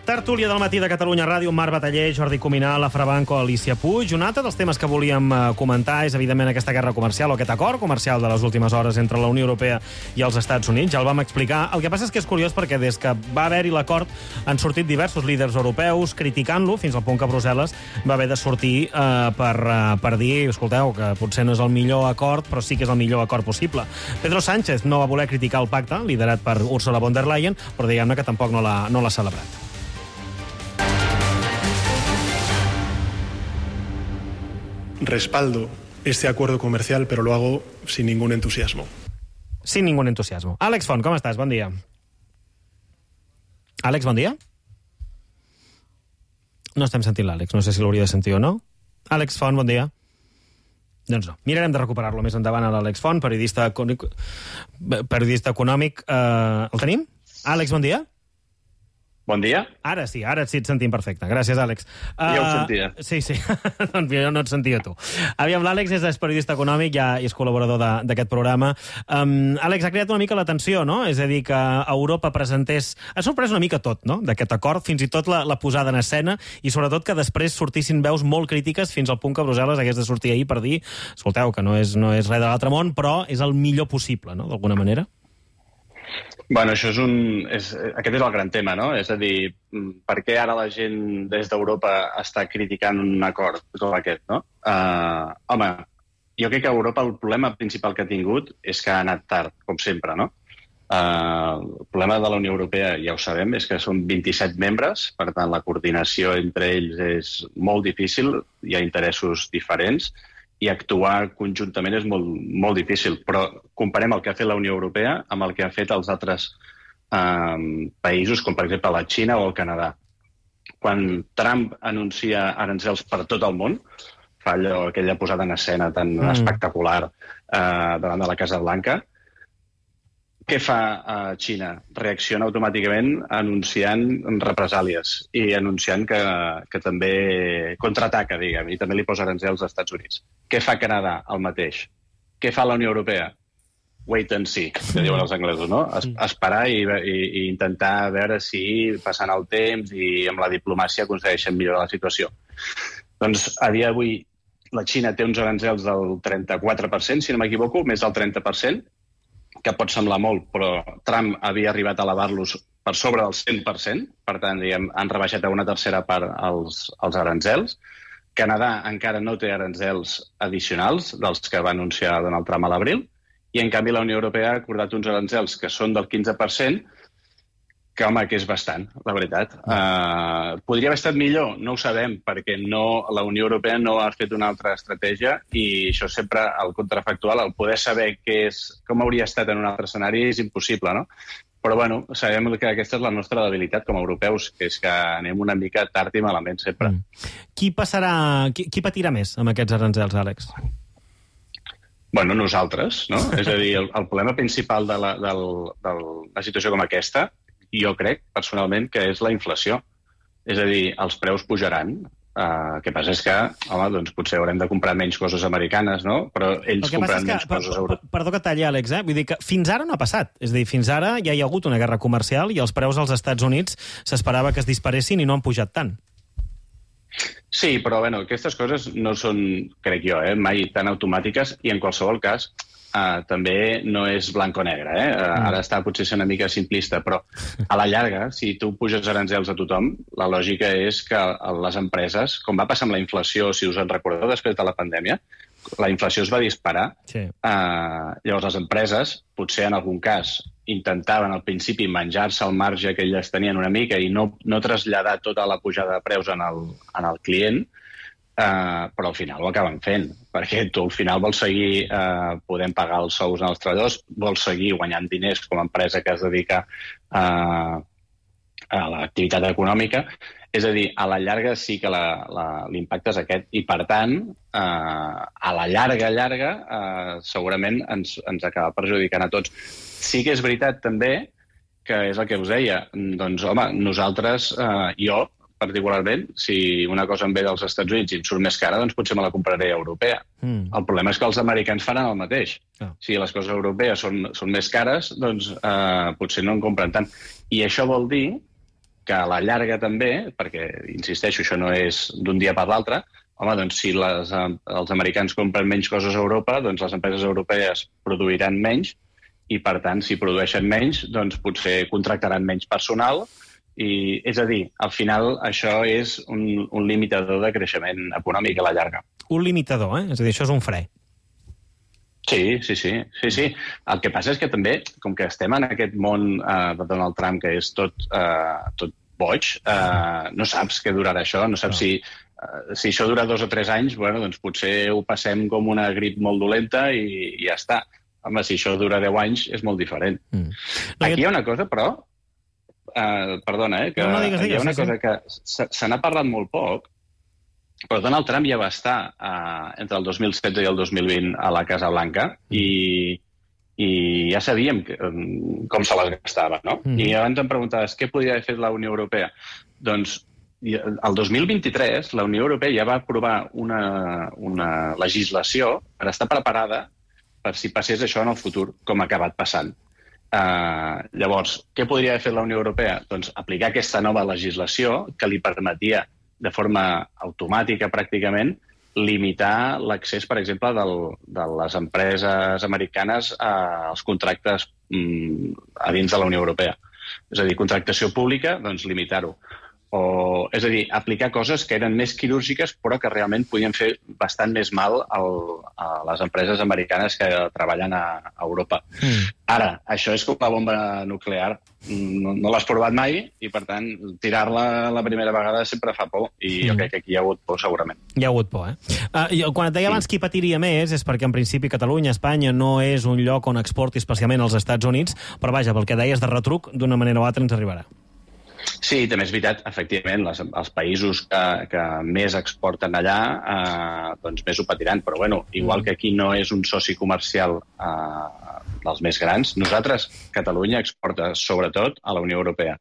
Tertúlia del matí de Catalunya Ràdio, Marc Bataller, Jordi Cuminal, Laura Banco, Alicia Puig. Un altre dels temes que volíem comentar és, evidentment, aquesta guerra comercial o aquest acord comercial de les últimes hores entre la Unió Europea i els Estats Units. Ja el vam explicar. El que passa és que és curiós perquè des que va haver-hi l'acord han sortit diversos líders europeus criticant-lo, fins al punt que Brussel·les va haver de sortir eh, per, eh, per dir, escolteu, que potser no és el millor acord, però sí que és el millor acord possible. Pedro Sánchez no va voler criticar el pacte, liderat per Ursula von der Leyen, però diguem-ne que tampoc no l'ha no l'ha celebrat. Respaldo este acuerdo comercial, pero lo hago sin ningún entusiasmo. Sin ningún entusiasmo. Àlex Font, com estàs? Bon dia. Àlex, bon dia. No estem sentint l'Àlex, no sé si l'hauria de sentir o no. Àlex Font, bon dia. Doncs no. Mirarem de recuperar-lo més endavant a l'Àlex Font, periodista, periodista econòmic. Uh, el tenim? Àlex, bon dia. Bon dia. Ara sí, ara sí et sentim perfecte. Gràcies, Àlex. Uh, ja ho sentia. Sí, sí. Doncs jo no et sentia tu. Aviam, l'Àlex és periodista econòmic, ja és col·laborador d'aquest programa. Um, Àlex, ha creat una mica l'atenció, no? És a dir, que Europa presentés... Ha sorprès una mica tot, no?, d'aquest acord, fins i tot la, la posada en escena, i sobretot que després sortissin veus molt crítiques fins al punt que Brussel·les hagués de sortir ahir per dir escolteu, que no és, no és res de l'altre món, però és el millor possible, no?, d'alguna manera. Bueno, això és un... És, aquest és el gran tema, no? És a dir, per què ara la gent des d'Europa està criticant un acord com aquest, no? Uh, home, jo crec que Europa el problema principal que ha tingut és que ha anat tard, com sempre, no? Uh, el problema de la Unió Europea, ja ho sabem, és que són vint-i-set membres, per tant, la coordinació entre ells és molt difícil, hi ha interessos diferents, i actuar conjuntament és molt, molt difícil. Però comparem el que ha fet la Unió Europea amb el que han fet els altres eh, països, com per exemple la Xina o el Canadà. Quan Trump anuncia aranzels per tot el món, fa allò, aquella posada en escena tan mm. espectacular eh, davant de la Casa Blanca, què fa eh, Xina? Reacciona automàticament anunciant represàlies i anunciant que, que també contraataca, diguem, i també li posa aranzels als Estats Units. Què fa Canadà? El mateix. Què fa la Unió Europea? Wait and see, que diuen els anglesos, no? Es, esperar i, i, i intentar veure si passant el temps i amb la diplomàcia aconsegueixen millorar la situació. Doncs a dia d'avui la Xina té uns aranzels del trenta-quatre per cent, si no m'equivoco, més del trenta per cent, que pot semblar molt, però Trump havia arribat a elevar-los per sobre del cent per cent, per tant, diguem, han rebaixat a una tercera part els, els aranzels. Canadà encara no té aranzels addicionals dels que va anunciar Donald Trump a l'abril, i en canvi la Unió Europea ha acordat uns aranzels que són del quinze per cent, que, home, que és bastant, la veritat. Uh, podria haver estat millor? No ho sabem, perquè no, la Unió Europea no ha fet una altra estratègia i això sempre, el contrafactual, el poder saber què és, com hauria estat en un altre escenari és impossible, no? Però, bueno, sabem que aquesta és la nostra debilitat com a europeus, que és que anem una mica tard i malament sempre. Mm. Qui passarà, qui, qui patirà més amb aquests aranzels, Àlex? Bueno, nosaltres, no? És a dir, el, el problema principal de la, de la situació com aquesta, jo crec, personalment, que és la inflació. És a dir, els preus pujaran. Uh, el que passa és que, home, doncs potser haurem de comprar menys coses americanes, no? Però ells compraran menys que, coses europees. Perdó que talli, Àlex, eh? Vull dir que fins ara no ha passat. És a dir, fins ara ja hi ha hagut una guerra comercial i els preus als Estats Units s'esperava que es disparessin i no han pujat tant. Sí, però, bueno, aquestes coses no són, crec jo, eh, mai tan automàtiques i, en qualsevol cas, Uh, també no és blanc o negre. Eh? Uh, mm. Ara està potser ser una mica simplista, però a la llarga, si tu puges aranzels a tothom, la lògica és que les empreses, com va passar amb la inflació, si us en recordeu després de la pandèmia, la inflació es va disparar. Sí. Uh, llavors les empreses, potser en algun cas, intentaven al principi menjar-se el marge que elles tenien una mica i no, no traslladar tota la pujada de preus en el, en el client, Uh, però al final ho acaben fent, perquè tu al final vols seguir uh, podent pagar els sous als treballadors, vols seguir guanyant diners com a empresa que es dedica uh, a l'activitat econòmica. És a dir, a la llarga sí que l'impacte és aquest, i per tant, uh, a la llarga, llarga, uh, segurament ens, ens acaba perjudicant a tots. Sí que és veritat també, que és el que us deia, doncs home, nosaltres, uh, jo, particularment, si una cosa em ve dels Estats Units i em surt més cara, doncs potser me la compraré europea. Mm. El problema és que els americans faran el mateix. Oh. Si les coses europees són, són més cares, doncs eh, potser no en compren tant. I això vol dir que a la llarga també, perquè, insisteixo, això no és d'un dia per l'altre, home, doncs si les, els americans compren menys coses a Europa, doncs les empreses europees produiran menys i, per tant, si produeixen menys, doncs potser contractaran menys personal. I, és a dir, al final això és un, un limitador de creixement econòmic a la llarga. Un limitador, eh? És a dir, això és un fre. Sí, sí, sí. sí, sí. El que passa és que també, com que estem en aquest món eh, de Donald Trump, que és tot, eh, tot boig, eh, no saps què durarà això, no saps no. si, eh, si això dura dos o tres anys, bueno, doncs potser ho passem com una grip molt dolenta i, i ja està. Home, si això dura deu anys, és molt diferent. Mm. No, Aquí hi ha una cosa, però... Uh, perdona, eh, que no, no digues, digues, hi ha una sí, cosa sí. que se, se n'ha parlat molt poc, Però Donald Trump ja va estar uh, entre el dos mil setze i el dos mil vint a la Casa Blanca i, i ja sabíem que, um, com se les gastava, no? Mm. I abans em preguntaves què podria haver fet la Unió Europea. Doncs el dos mil vint-i-tres la Unió Europea ja va aprovar una, una legislació per estar preparada per si passés això en el futur, com ha acabat passant. Uh, llavors, què podria haver fet la Unió Europea? Doncs aplicar aquesta nova legislació que li permetia de forma automàtica, pràcticament, limitar l'accés, per exemple, del, de les empreses americanes als contractes mm, a dins de la Unió Europea. És a dir, contractació pública, doncs limitar-ho. O, és a dir, aplicar coses que eren més quirúrgiques però que realment podien fer bastant més mal al, a les empreses americanes que treballen a, a Europa. Mm. Ara, això és com la bomba nuclear. No, no l'has provat mai i, per tant, tirar-la la primera vegada sempre fa por i jo mm. crec que aquí hi ha hagut por, segurament. Hi ha hagut por, eh? Uh, jo, quan et deia abans qui patiria més és perquè, en principi, Catalunya, Espanya, no és un lloc on exporti especialment als Estats Units, però, vaja, pel que deies de retruc, d'una manera o altra ens arribarà. Sí, també és veritat, efectivament, les, els països que, que més exporten allà eh, doncs més ho patiran, però bueno, igual que aquí no és un soci comercial eh, dels més grans, nosaltres, Catalunya, exporta sobretot a la Unió Europea.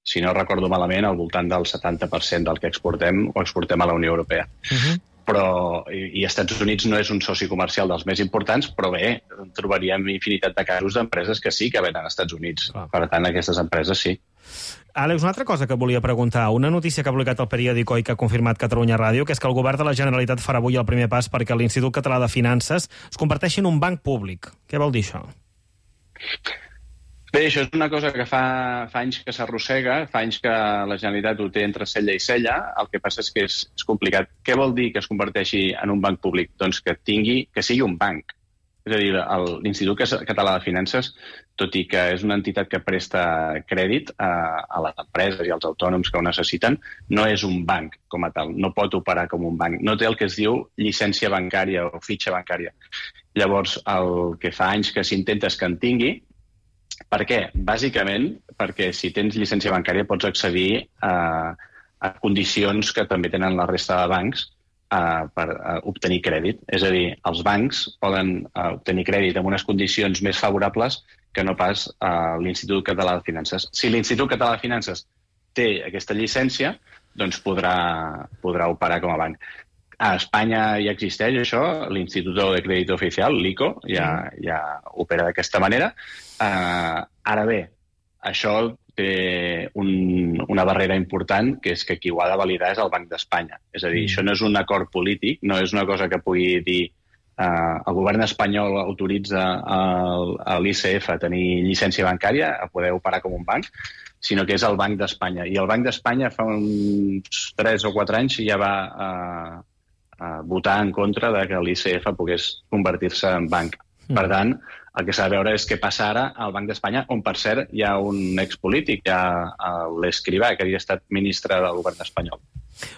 Si no recordo malament, al voltant del setanta per cent del que exportem ho exportem a la Unió Europea. Uh-huh. Però, i, i Estats Units no és un soci comercial dels més importants, però bé, trobaríem infinitat de casos d'empreses que sí que venen als Estats Units. Ah. Per tant, aquestes empreses sí. Àlex, una altra cosa que volia preguntar. Una notícia que ha publicat el periòdico i que ha confirmat Catalunya Ràdio, que és que el govern de la Generalitat farà avui el primer pas perquè l'Institut Català de Finances es converteixi en un banc públic. Què vol dir això? Bé, això és una cosa que fa, fa anys que s'arrossega, fa anys que la Generalitat ho té entre cella i cella, el que passa és que és, és complicat. Què vol dir que es converteixi en un banc públic? Doncs que tingui, que sigui un banc. És a dir, l'Institut Català de Finances, tot i que és una entitat que presta crèdit a, a les empreses i als autònoms que ho necessiten, no és un banc com a tal, no pot operar com un banc. No té el que es diu llicència bancària o fitxa bancària. Llavors, el que fa anys que s'intenta és que en tingui. Per què? Bàsicament, perquè si tens llicència bancària pots accedir a, a condicions que també tenen la resta de bancs Uh, per uh, obtenir crèdit. És a dir, els bancs poden uh, obtenir crèdit amb unes condicions més favorables que no pas uh, l'Institut Català de Finances. Si l'Institut Català de Finances té aquesta llicència, doncs podrà, podrà operar com a banc. A Espanya ja existeix això, l'Institut de Crèdit Oficial, l'I C O, ja, ja opera d'aquesta manera. Uh, ara bé, això té un, una barrera important, que és que qui ho ha de validar és el Banc d'Espanya. És a dir, mm. això no és un acord polític, no és una cosa que pugui dir eh, el govern espanyol autoritza a l'I C F a tenir llicència bancària, a poder operar com un banc, sinó que és el Banc d'Espanya. I el Banc d'Espanya fa uns tres o quatre anys ja va eh, eh, votar en contra de que l'I C F pogués convertir-se en banc. Mm. Per tant, el que s'ha de veure és què passa ara al Banc d'Espanya, on, per cert, hi ha un expolític, hi ha l'Escrivà, que havia estat ministre del govern espanyol.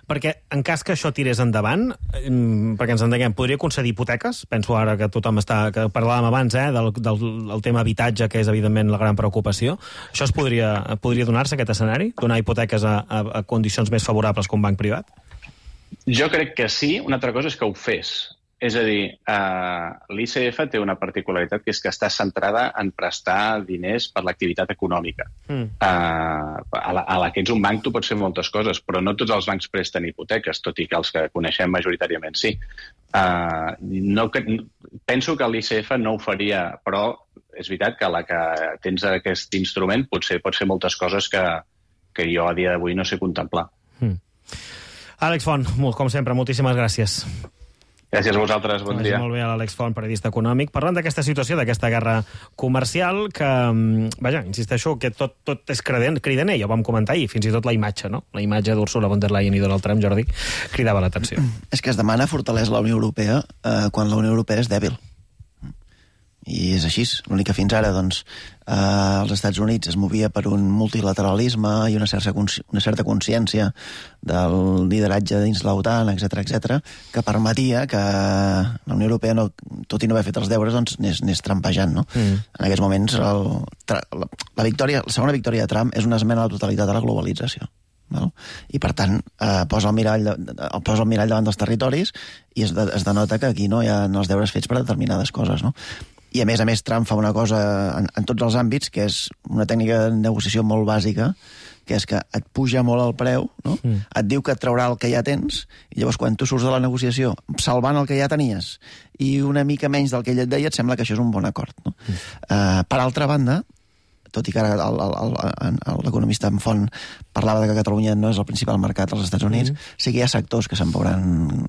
Perquè, en cas que això tirés endavant, perquè ens entenguem, podria concedir hipoteques? Penso ara que tothom està... que parlàvem abans, eh, del, del, del tema habitatge, que és, evidentment, la gran preocupació. Això es podria, podria donar-se, aquest escenari? Donar hipoteques a, a, a condicions més favorables que un banc privat? Jo crec que sí. Una altra cosa és que ho fes. És a dir, eh, l'I C F té una particularitat que és que està centrada en prestar diners per l'activitat econòmica. Mm. Eh, a, la, a la que ets un banc tu pots fer moltes coses, però no tots els bancs presten hipoteques, tot i que els que coneixem majoritàriament sí. Eh, no, que, penso que l'I C F no ho faria, però és veritat que a la que tens aquest instrument potser pots fer moltes coses que, que jo a dia d'avui no sé contemplar. Mm. Àlex Font, com sempre, moltíssimes gràcies. Gràcies a vosaltres, bon dia. Molt bé, l'Àlex Font, periodista econòmic, parlant d'aquesta situació, d'aquesta guerra comercial, que, vaja, insisteixo, que tot, tot és cridaner, ja ho vam comentar ahir, fins i tot la imatge, no? La imatge d'Ursula von der Leyen i Donald Trump, Jordi, cridava l'atenció. És que es demana fortalesa la Unió Europea eh, quan la Unió Europea és dèbil. I és així. L'únic que fins ara, doncs, eh, els Estats Units es movia per un multilateralisme i una certa, una certa consciència del lideratge dins l'OTAN, etcètera, etcètera, que permetia que la Unió Europea, no, tot i no haver fet els deures, doncs, anés, anés trampejant, no? Mm. En aquests moments, el, la, la, victòria, la segona victòria de Trump és una esmena a la totalitat de la globalització. Val? I, per tant, eh, posa, el mirall, posa el mirall davant dels territoris i es, de, es denota que aquí no hi ha els deures fets per determinades coses, no? I, a més a més, Trump fa una cosa en, en tots els àmbits, que és una tècnica de negociació molt bàsica, que és que et puja molt el preu, no? Mm. Et diu que et traurà el que ja tens, i llavors quan tu surts de la negociació salvant el que ja tenies i una mica menys del que ell et deia, et sembla que això és un bon acord, no? Mm. Uh, per altra banda, tot i que ara l'economista en Font parlava de que Catalunya no és el principal mercat als Estats Units, mm. sí que hi ha sectors que se'n veuran...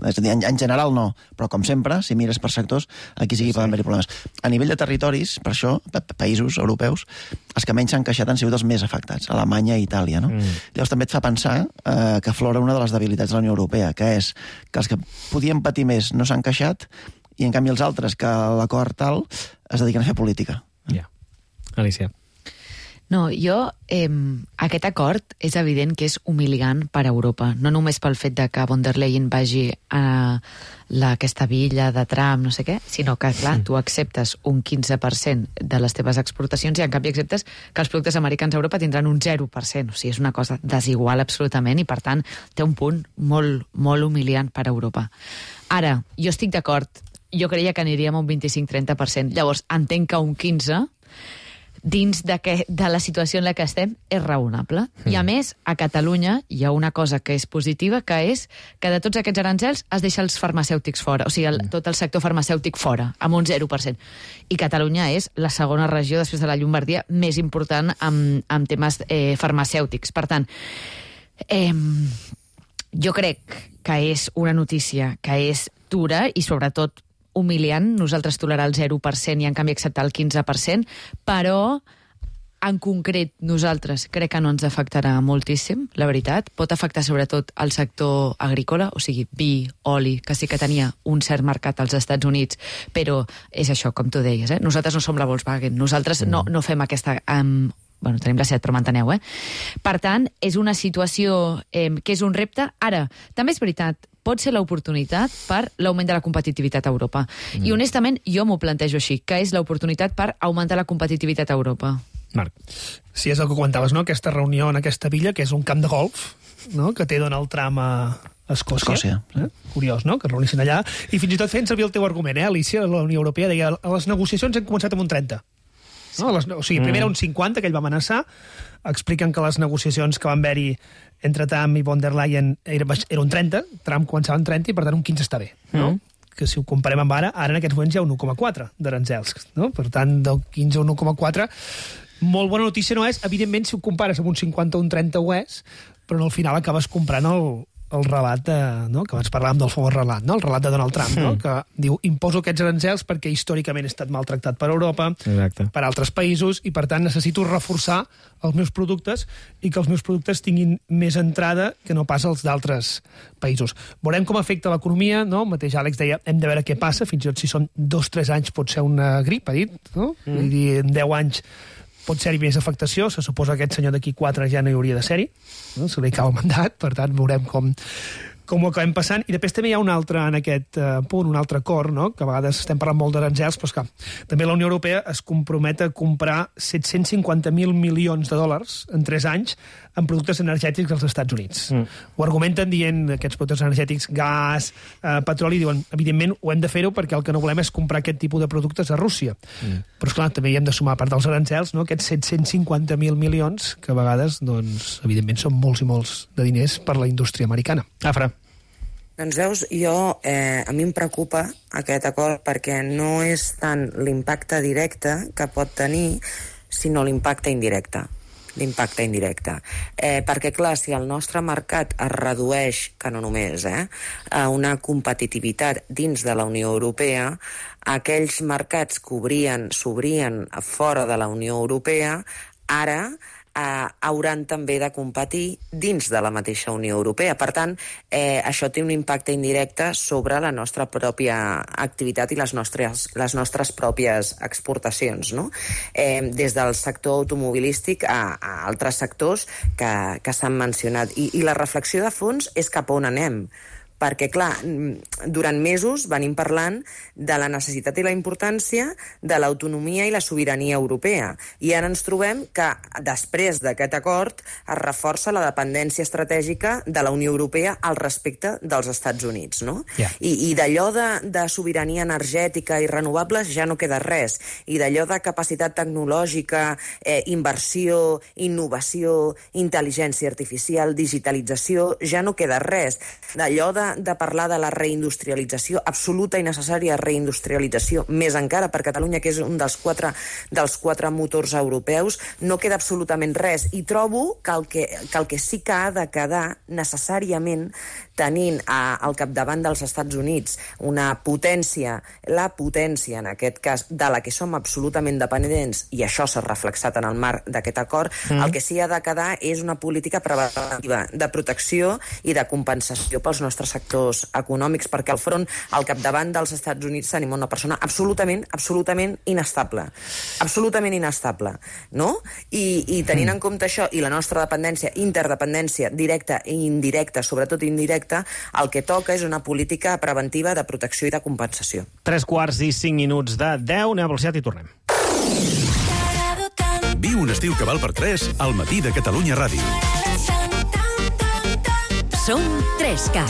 És a dir, en, en general no, però com sempre, si mires per sectors, aquí sí que sí. poden haver-hi problemes. A nivell de territoris, per això, països europeus, els que menys s'han queixat han sigut els més afectats, Alemanya i Itàlia, no? Mm. Llavors també et fa pensar eh, que aflora una de les debilitats de la Unió Europea, que és que els que podien patir més no s'han queixat i, en canvi, els altres, que l'acord tal, es dediquen a fer política. Ja. Yeah. Alicia. No, jo, eh, aquest acord és evident que és humiliant per a Europa, no només pel fet de que von der Leyen vagi a la, aquesta villa de Trump, no sé què, sinó que, clar, tu acceptes un quinze per cent de les teves exportacions i, en canvi, acceptes que els productes americans a Europa tindran un zero per cent. O sigui, és una cosa desigual absolutament i, per tant, té un punt molt, molt humiliant per a Europa. Ara, jo estic d'acord, jo creia que aniríem a un vint-i-cinc a trenta per cent. Llavors, entenc que un quinze per cent dins de, que, de la situació en la que estem, és raonable. Mm. I, a més, a Catalunya hi ha una cosa que és positiva, que és que de tots aquests aranzels es deixa els farmacèutics fora, o sigui, el, tot el sector farmacèutic fora, amb un zero per cent. I Catalunya és la segona regió, després de la Llombardia, més important amb, amb temes eh, farmacèutics. Per tant, eh, jo crec que és una notícia que és dura i, sobretot, humiliant, nosaltres tolerar el zero per cent i, en canvi, acceptar el quinze per cent, però, en concret, nosaltres crec que no ens afectarà moltíssim, la veritat. Pot afectar, sobretot, el sector agrícola, o sigui, vi, oli, que sí que tenia un cert mercat als Estats Units, però és això, com tu deies, eh? Nosaltres no som la Volkswagen, nosaltres mm. no, no fem aquesta... Um, bueno, tenim la set, però m'enteneu, eh? Per tant, és una situació eh, que és un repte. Ara, també és veritat, pot ser l'oportunitat per l'augment de la competitivitat a Europa. Mm. I, honestament, jo m'ho plantejo així, que és l'oportunitat per augmentar la competitivitat a Europa. Marc. Sí, és el que comentaves, no? Aquesta reunió en aquesta villa, que és un camp de golf, no? Que té Donald Trump a Escòcia. Escòcia. Eh? Curiós, no?, que es reunissin allà. I fins i tot feien servir el teu argument, eh, Alicia? La Unió Europea deia, a les negociacions hem començat amb un trenta. No? Les, o sigui, primer era un cinquanta, que ell va amenaçar. Expliquen que les negociacions que van haver-hi entre Trump i von der Leyen era, era un trenta, Trump començava en trenta i, per tant, un quinze està bé, no? Mm. Que si ho comparem amb ara, ara en aquests moments hi ha un u coma quatre d'aranzels, no? Per tant, del quinze a un u coma quatre, molt bona notícia no és. Evidentment, si ho compares amb un cinquanta o un trenta ho és, però no, al final acabes comprant el, el relat de, no? Que abans parlàvem del famós relat, no? El relat de Donald Trump, no? Que diu, imposo aquests aranzels perquè històricament he estat maltractat per Europa, Exacte. Per altres països, i per tant necessito reforçar els meus productes i que els meus productes tinguin més entrada que no pas els d'altres països. Veurem com afecta l'economia, no? El mateix Àlex deia, hem de veure què passa, fins i tot si són dos o tres anys pot ser una grip, ha dit, no? Mm. Vull dir, en deu anys pot ser-hi més afectació, se suposa que aquest senyor d'aquí quatre ja no hi hauria de ser-hi, no? Se li cau el mandat, per tant veurem com, com ho acabem passant. I després també hi ha un altre, en aquest uh, punt, un altre acord, no? Que a vegades estem parlant molt d'aranzels, però esclar, també la Unió Europea es compromet a comprar set-cents cinquanta mil milions de dòlars en tres anys en productes energètics als Estats Units. Mm. Ho argumenten dient aquests productes energètics, gas, eh, petroli, diuen, evidentment ho hem de fer-ho perquè el que no volem és comprar aquest tipus de productes a Rússia. Mm. Però esclar, també hi hem de sumar, a part dels arancels, no? Aquests set-cents cinquanta mil milions, que a vegades, doncs, evidentment, són molts i molts de diners per la indústria americana. Afra. Doncs veus, jo, eh, a mi em preocupa aquest acord perquè no és tant l'impacte directe que pot tenir, sinó l'impacte indirecte. L'impacte indirecte. Eh, perquè, clar, si el nostre mercat es redueix, que no només, eh, a una competitivitat dins de la Unió Europea, aquells mercats que obrien, s'obrien fora de la Unió Europea, ara eh, hauran també de competir dins de la mateixa Unió Europea. Per tant, eh, això té un impacte indirecte sobre la nostra pròpia activitat i les nostres, les nostres pròpies exportacions, no? Eh, des del sector automobilístic a, a altres sectors que, que s'han mencionat. I, I la reflexió de fons és cap a on anem, perquè, clar, durant mesos venim parlant de la necessitat i la importància de l'autonomia i la sobirania europea. I ara ens trobem que, després d'aquest acord, es reforça la dependència estratègica de la Unió Europea al respecte dels Estats Units, no? Yeah. I, i d'allò de, de sobirania energètica i renovables ja no queda res. I d'allò de capacitat tecnològica, eh, inversió, innovació, intel·ligència artificial, digitalització, ja no queda res. D'allò de, de parlar de la reindustrialització, absoluta i necessària reindustrialització, més encara per Catalunya, que és un dels quatre, dels quatre motors europeus, no queda absolutament res. I trobo que el que, que, el que sí que ha de quedar necessàriament tenint a, al capdavant dels Estats Units una potència, la potència en aquest cas, de la que som absolutament dependents, i això s'ha reflexat en el marc d'aquest acord, mm. el que sí ha de quedar és una política preventiva de protecció i de compensació pels nostres sectors econòmics, perquè al front, al capdavant dels Estats Units, tenim una persona absolutament, absolutament inestable. Absolutament inestable, no? I, i tenint mm. en compte això, i la nostra dependència, interdependència directa i indirecta, sobretot indirecta, el que toca és una política preventiva de protecció i de compensació. Tres quarts i cinc minuts de deu, anem a velocitat i tornem. Viu un estiu que val per tres al matí de Catalunya Ràdio. Som tres K.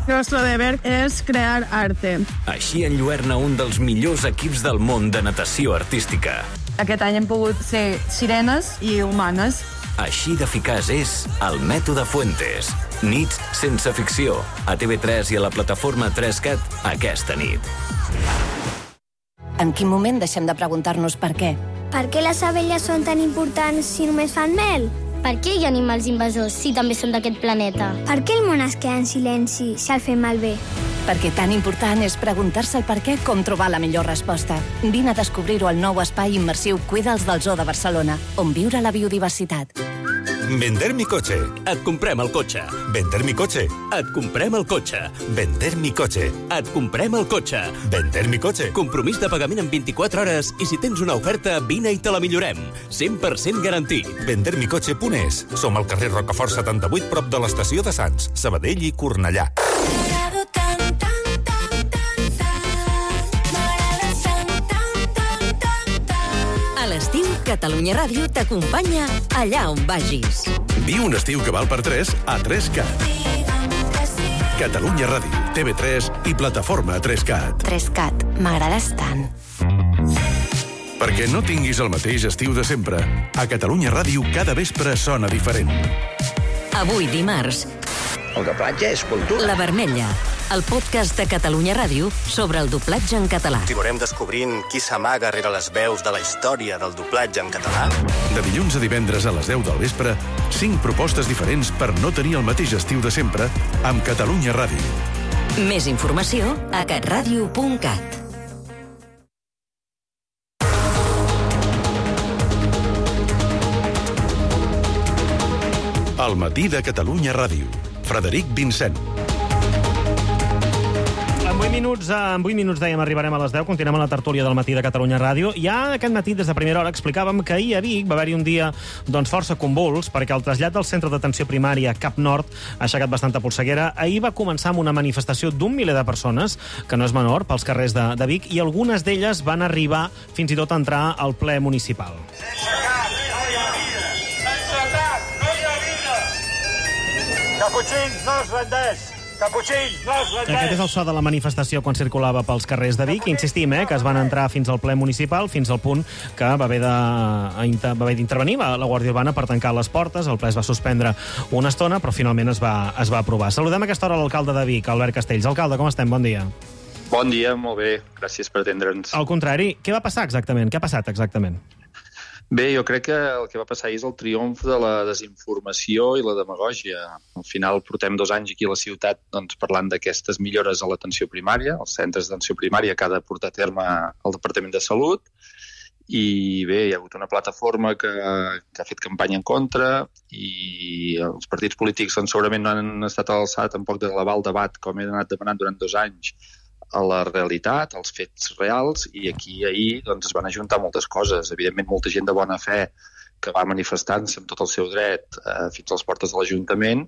Nuestro deber és crear arte. Així enlluerna un dels millors equips del món de natació artística. Aquest any hem pogut ser sirenes i humanes. Així d'eficaç és el mètode Fuentes. Nits sense ficció. A T V tres i a la plataforma tres cat aquesta nit. En quin moment deixem de preguntar-nos per què? Per què les abelles són tan importants si només fan mel? Per què hi ha animals invasors si també són d'aquest planeta? Per què el món es queda en silenci si el fem malbé? Perquè tan important és preguntar-se el per què com trobar la millor resposta. Vine a descobrir-ho al nou espai immersiu Cuida'ls del Zoo de Barcelona, on viure la biodiversitat. Vender mi coche. Et comprem el cotxe. Vender mi coche. Et comprem el cotxe. Vender mi coche. Et comprem el cotxe. Vender mi coche. Compromís de pagament en vint-i-quatre hores i si tens una oferta, vine i te la millorem. cent per cent garantit. vender mi coche punt es. Som al carrer Rocafort setanta-vuit, prop de l'estació de Sants, Sabadell i Cornellà. A l'estiu, Catalunya Ràdio t'acompanya allà on vagis. Viu un estiu que val per tres a tres cat. Catalunya Ràdio, T V tres i plataforma tres cat. tres cat, m'agrades tant. Perquè no tinguis el mateix estiu de sempre, a Catalunya Ràdio cada vespre sona diferent. Avui dimarts, El doblatge és cultura. La Vermella, el podcast de Catalunya Ràdio sobre el doblatge en català. Continuarem descobrint qui s'amaga rere les veus de la història del doblatge en català. De dilluns a divendres a les deu del vespre, cinc propostes diferents per no tenir el mateix estiu de sempre amb Catalunya Ràdio. Més informació a catradio punt cat. El matí de Catalunya Ràdio. Frederic Vincent. En vuit minuts, en vuit minuts dèiem arribarem a les deu, continuem a la tertúlia del matí de Catalunya Ràdio. Ja aquest matí, des de primera hora, explicàvem que ahir a Vic va haver-hi un dia doncs, força convuls, perquè el trasllat del centre d'atenció primària Cap Nord ha aixecat bastanta polseguera. Ahir va començar amb una manifestació d'un miler de persones, que no és menor, pels carrers de, de Vic, i algunes d'elles van arribar fins i tot a entrar al ple municipal. Caputxins, no es rendeix! Caputxins, no es rendeix! Aquest és el so de la manifestació quan circulava pels carrers de Vic. Insistim, eh, que es van entrar fins al ple municipal, fins al punt que va haver d'intervenir la Guàrdia Urbana per tancar les portes. El ple es va suspendre una estona, però finalment es va, es va aprovar. Saludem a aquesta hora l'alcalde de Vic, Albert Castells. Alcalde, com estem? Bon dia. Bon dia, molt bé. Gràcies per atendre'ns. Al contrari, què va passar exactament? Què ha passat exactament? Bé, jo crec que el que va passar és el triomf de la desinformació i la demagògia. Al final portem dos anys aquí a la ciutat doncs, parlant d'aquestes millores a l'atenció primària, els centres d'atenció primària que ha de portar a terme el Departament de Salut, i bé, hi ha hagut una plataforma que, que ha fet campanya en contra i els partits polítics doncs, segurament no han estat a l'alçada tampoc de elevar el debat com he anat demanant durant dos anys a la realitat, als fets reals, i aquí ahir doncs, es van ajuntar moltes coses. Evidentment, molta gent de bona fe que va manifestant-se amb tot el seu dret eh, fins a les portes de l'Ajuntament,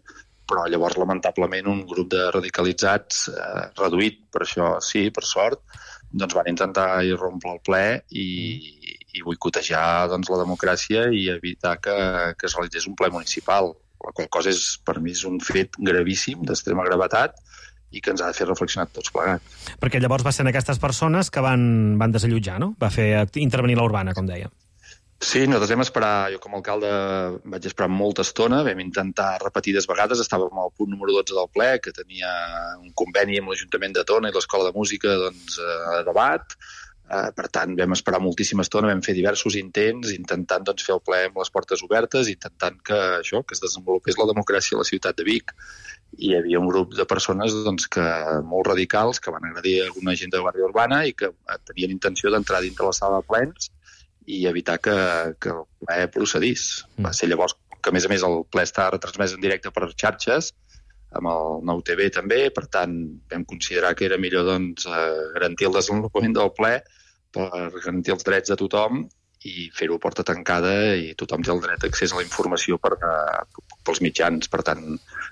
però llavors, lamentablement, un grup de radicalitzats, eh, reduït, per això sí, per sort, doncs van intentar irrompre el ple i, i boicotejar doncs, la democràcia i evitar que, que es realitzés un ple municipal, la qual cosa és, per mi és un fet gravíssim, d'extrema gravetat, i que ens ha de fer reflexionar tots plegats. Perquè llavors va ser aquestes persones que van, van desallotjar, no? Va fer intervenir la urbana, com deia. Sí, nosaltres vam esperar, jo com a alcalde vaig esperar molta estona, vam intentar repetides vegades, estàvem al punt número dotze del ple, que tenia un conveni amb l'Ajuntament de Tona i l'Escola de Música doncs, a debat, eh, per tant vam esperar moltíssima estona, vam fer diversos intents, intentant doncs, fer el ple amb les portes obertes, intentant que això que es desenvolupés la democràcia a la ciutat de Vic. I hi havia un grup de persones doncs, que, molt radicals que van agredir alguna gent de Guàrdia Urbana i que tenien intenció d'entrar dintre la sala de plens i evitar que, que el ple procedís. Mm. Va ser llavors que, a més a més, el ple està retransmès en directe per xarxes, amb el Nou T V també, per tant, vam considerar que era millor doncs, garantir el desenvolupament del ple per garantir els drets de tothom i fer-ho a porta tancada i tothom té el dret d'accés a la informació per, pels mitjans. Per tant,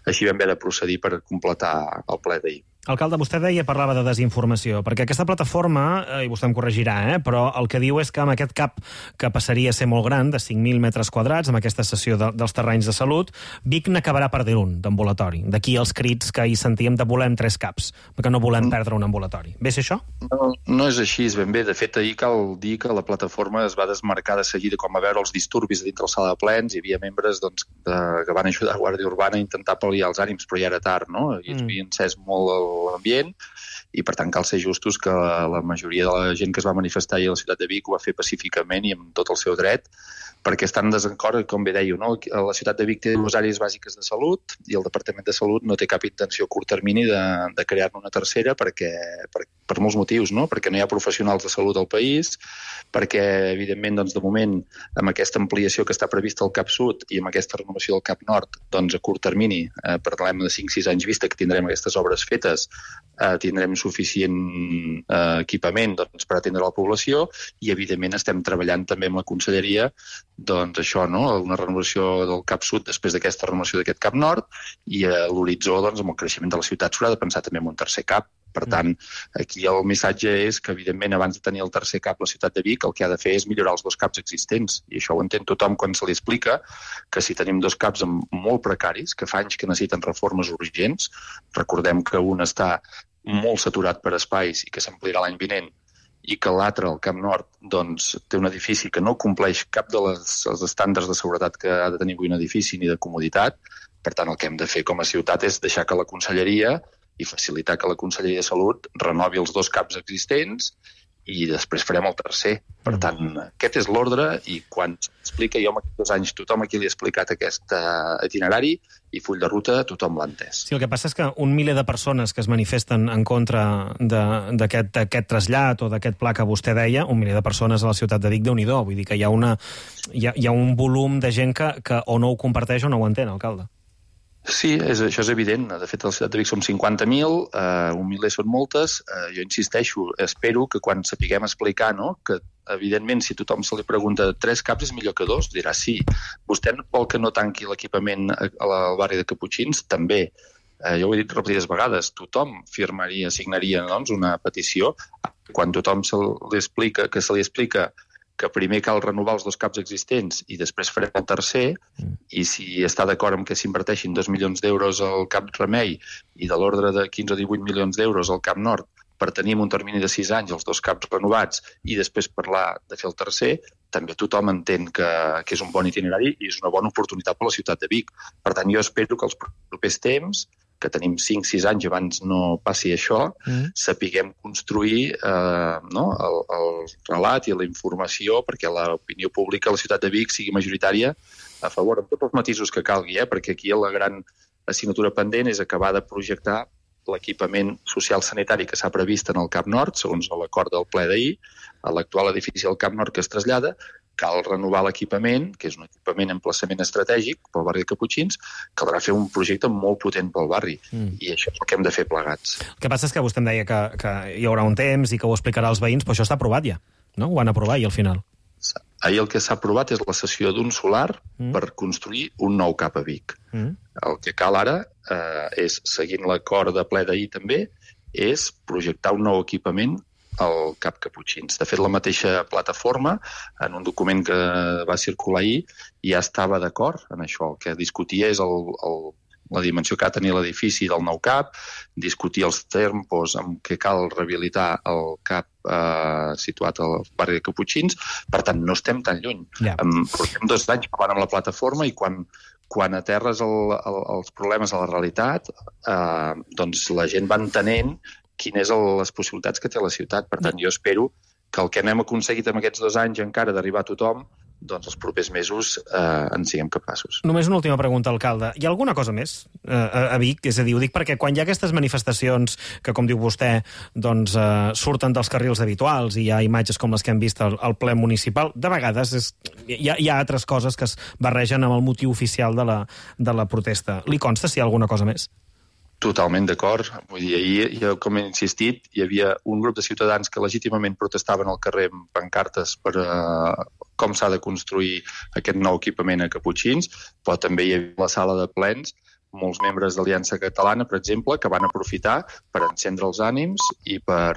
així vam haver de procedir per completar el ple d'ahir. Alcalde, vostè deia, parlava de desinformació, perquè aquesta plataforma, eh, i vostè em corregirà, eh, però el que diu és que amb aquest cap que passaria a ser molt gran, de cinc mil metres quadrats, amb aquesta cessió de, dels terrenys de salut, Vic n'acabarà perdent un d'ambulatori. D'aquí els crits que hi sentíem de volem tres caps, perquè no volem perdre un ambulatori. Ve ser això? No, no és així, és ben bé. De fet, ahir cal dir que la plataforma es va desmarcar de seguida quan va veure els disturbis dintre la sala de plens. Hi havia membres doncs, de, que van ajudar a Guàrdia Urbana a intentar pal·liar els ànims, però ja era tard, no? I ens havia encès molt el l'ambient i per tant cal ser justos que la, la majoria de la gent que es va manifestar ahir a la ciutat de Vic ho va fer pacíficament i amb tot el seu dret, perquè estan en desacord, com bé dèieu, no? La ciutat de Vic té dues àrees bàsiques de salut i el Departament de Salut no té cap intenció a curt termini de, de crear-ne una tercera perquè, per, per molts motius, no? Perquè no hi ha professionals de salut al país, perquè, evidentment, doncs, de moment, amb aquesta ampliació que està prevista al Cap Sud i amb aquesta renovació del Cap Nord, doncs, a curt termini, eh, parlem de cinc sis anys vista que tindrem aquestes obres fetes, eh, tindrem suficient eh, equipament doncs, per atendre la població i, evidentment, estem treballant també amb la Conselleria doncs això, no? Una renovació del Cap Sud després d'aquesta renovació d'aquest Cap Nord i a l'horitzó, doncs, amb el creixement de la ciutat s'haurà de pensar també en un tercer cap. Per tant, aquí el missatge és que, evidentment, abans de tenir el tercer cap la ciutat de Vic, el que ha de fer és millorar els dos caps existents. I això ho entén tothom quan se li explica que si tenim dos caps molt precaris, que fa anys que necessiten reformes urgents, recordem que un està molt saturat per espais i que s'ampliarà l'any vinent, i que l'altre, el Camp Nord, doncs, té un edifici que no compleix cap dels estàndards de seguretat que ha de tenir avui un edifici ni de comoditat. Per tant, el que hem de fer com a ciutat és deixar que la Conselleria i facilitar que la Conselleria de Salut renovi els dos caps existents i després farem el tercer. Per tant, aquest és l'ordre i quan s'explica, jo en aquests dos anys tothom aquí li ha explicat aquest itinerari i full de ruta tothom l'ha entès. Sí, el que passa és que un miler de persones que es manifesten en contra d'aquest trasllat o d'aquest pla que vostè deia, un miler de persones a la ciutat de Vic, Déu-n'hi-do. Vull dir que hi ha, una, hi ha, hi ha un volum de gent que, que o no ho comparteix o no ho entén, alcalde. Sí, és, això és evident. De fet, a la ciutat de Vic som cinquanta mil, eh, un miler són moltes. Eh, jo insisteixo, espero que quan sapiguem explicar, no?, que evidentment, si tothom se li pregunta tres caps és millor que dos, dirà sí. Vostè vol que no tanqui l'equipament al barri de Caputxins? També. Eh, jo ho he dit repetides vegades. Tothom firmaria, signaria doncs, una petició. Quan tothom se li explica, que se li explica que primer cal renovar els dos caps existents i després farem el tercer, i si està d'acord amb que s'inverteixin dos milions d'euros al Cap Remei i de l'ordre de quinze o divuit milions d'euros al Cap Nord per tenir un termini de sis anys els dos caps renovats i després parlar de fer el tercer, també tothom entén que, que és un bon itinerari i és una bona oportunitat per a la ciutat de Vic. Per tant, jo espero que els propers temps, que tenim cinc sis anys abans no passi això, mm. sapiguem construir eh, no, el, el relat i la informació perquè l'opinió pública a la ciutat de Vic sigui majoritària a favor, amb tots els matisos que calgui, eh, perquè aquí la gran assignatura pendent és acabar de projectar l'equipament social sanitari que s'ha previst en el Cap Nord, segons l'acord del ple d'ahir, a l'actual edifici del Cap Nord que es trasllada. Cal renovar l'equipament, que és un equipament en emplaçament estratègic pel barri de Caputxins, caldrà fer un projecte molt potent pel barri, mm. i això és el que hem de fer plegats. El que passa és que vostè em deia que, que hi haurà un temps i que ho explicarà als veïns, però això està aprovat ja, no? Ho van aprovar i al final. ahir el que s'ha aprovat és la cessió d'un solar mm. per construir un nou cap a Vic. Mm. El que cal ara eh, és, seguint l'acord de ple d'ahir també, és projectar un nou equipament al Cap Caputxins. De fet, la mateixa plataforma, en un document que va circular ahir, ja estava d'acord en això. El que discutia és el, el, la dimensió que ha de tenir l'edifici del nou cap, discutir els tempos amb què cal rehabilitar el cap eh, situat al barri de Caputxins. Per tant, no estem tan lluny. Yeah. Um, portem dos anys parlant amb la plataforma i quan, quan aterres el, el, els problemes a la realitat, eh, doncs la gent va entenent quines són les possibilitats que té la ciutat. Per tant, jo espero que el que n'hem aconseguit en aquests dos anys encara d'arribar a tothom, doncs els propers mesos eh, en siguem capaços. Només una última pregunta, alcalde. Hi ha alguna cosa més eh, a Vic? És a dir, ho dic perquè quan hi ha aquestes manifestacions que, com diu vostè, doncs, eh, surten dels carrils habituals i hi ha imatges com les que hem vist al, al ple municipal, de vegades és, hi, ha, hi ha altres coses que es barregen amb el motiu oficial de la, de la protesta. Li consta si hi ha alguna cosa més? Totalment d'acord. Vull dir, ahir, jo, com he insistit, hi havia un grup de ciutadans que legítimament protestaven al carrer amb pancartes per uh, com s'ha de construir aquest nou equipament a Caputxins, però també hi havia la sala de plens molts membres d'Aliança Catalana, per exemple, que van aprofitar per encendre els ànims i per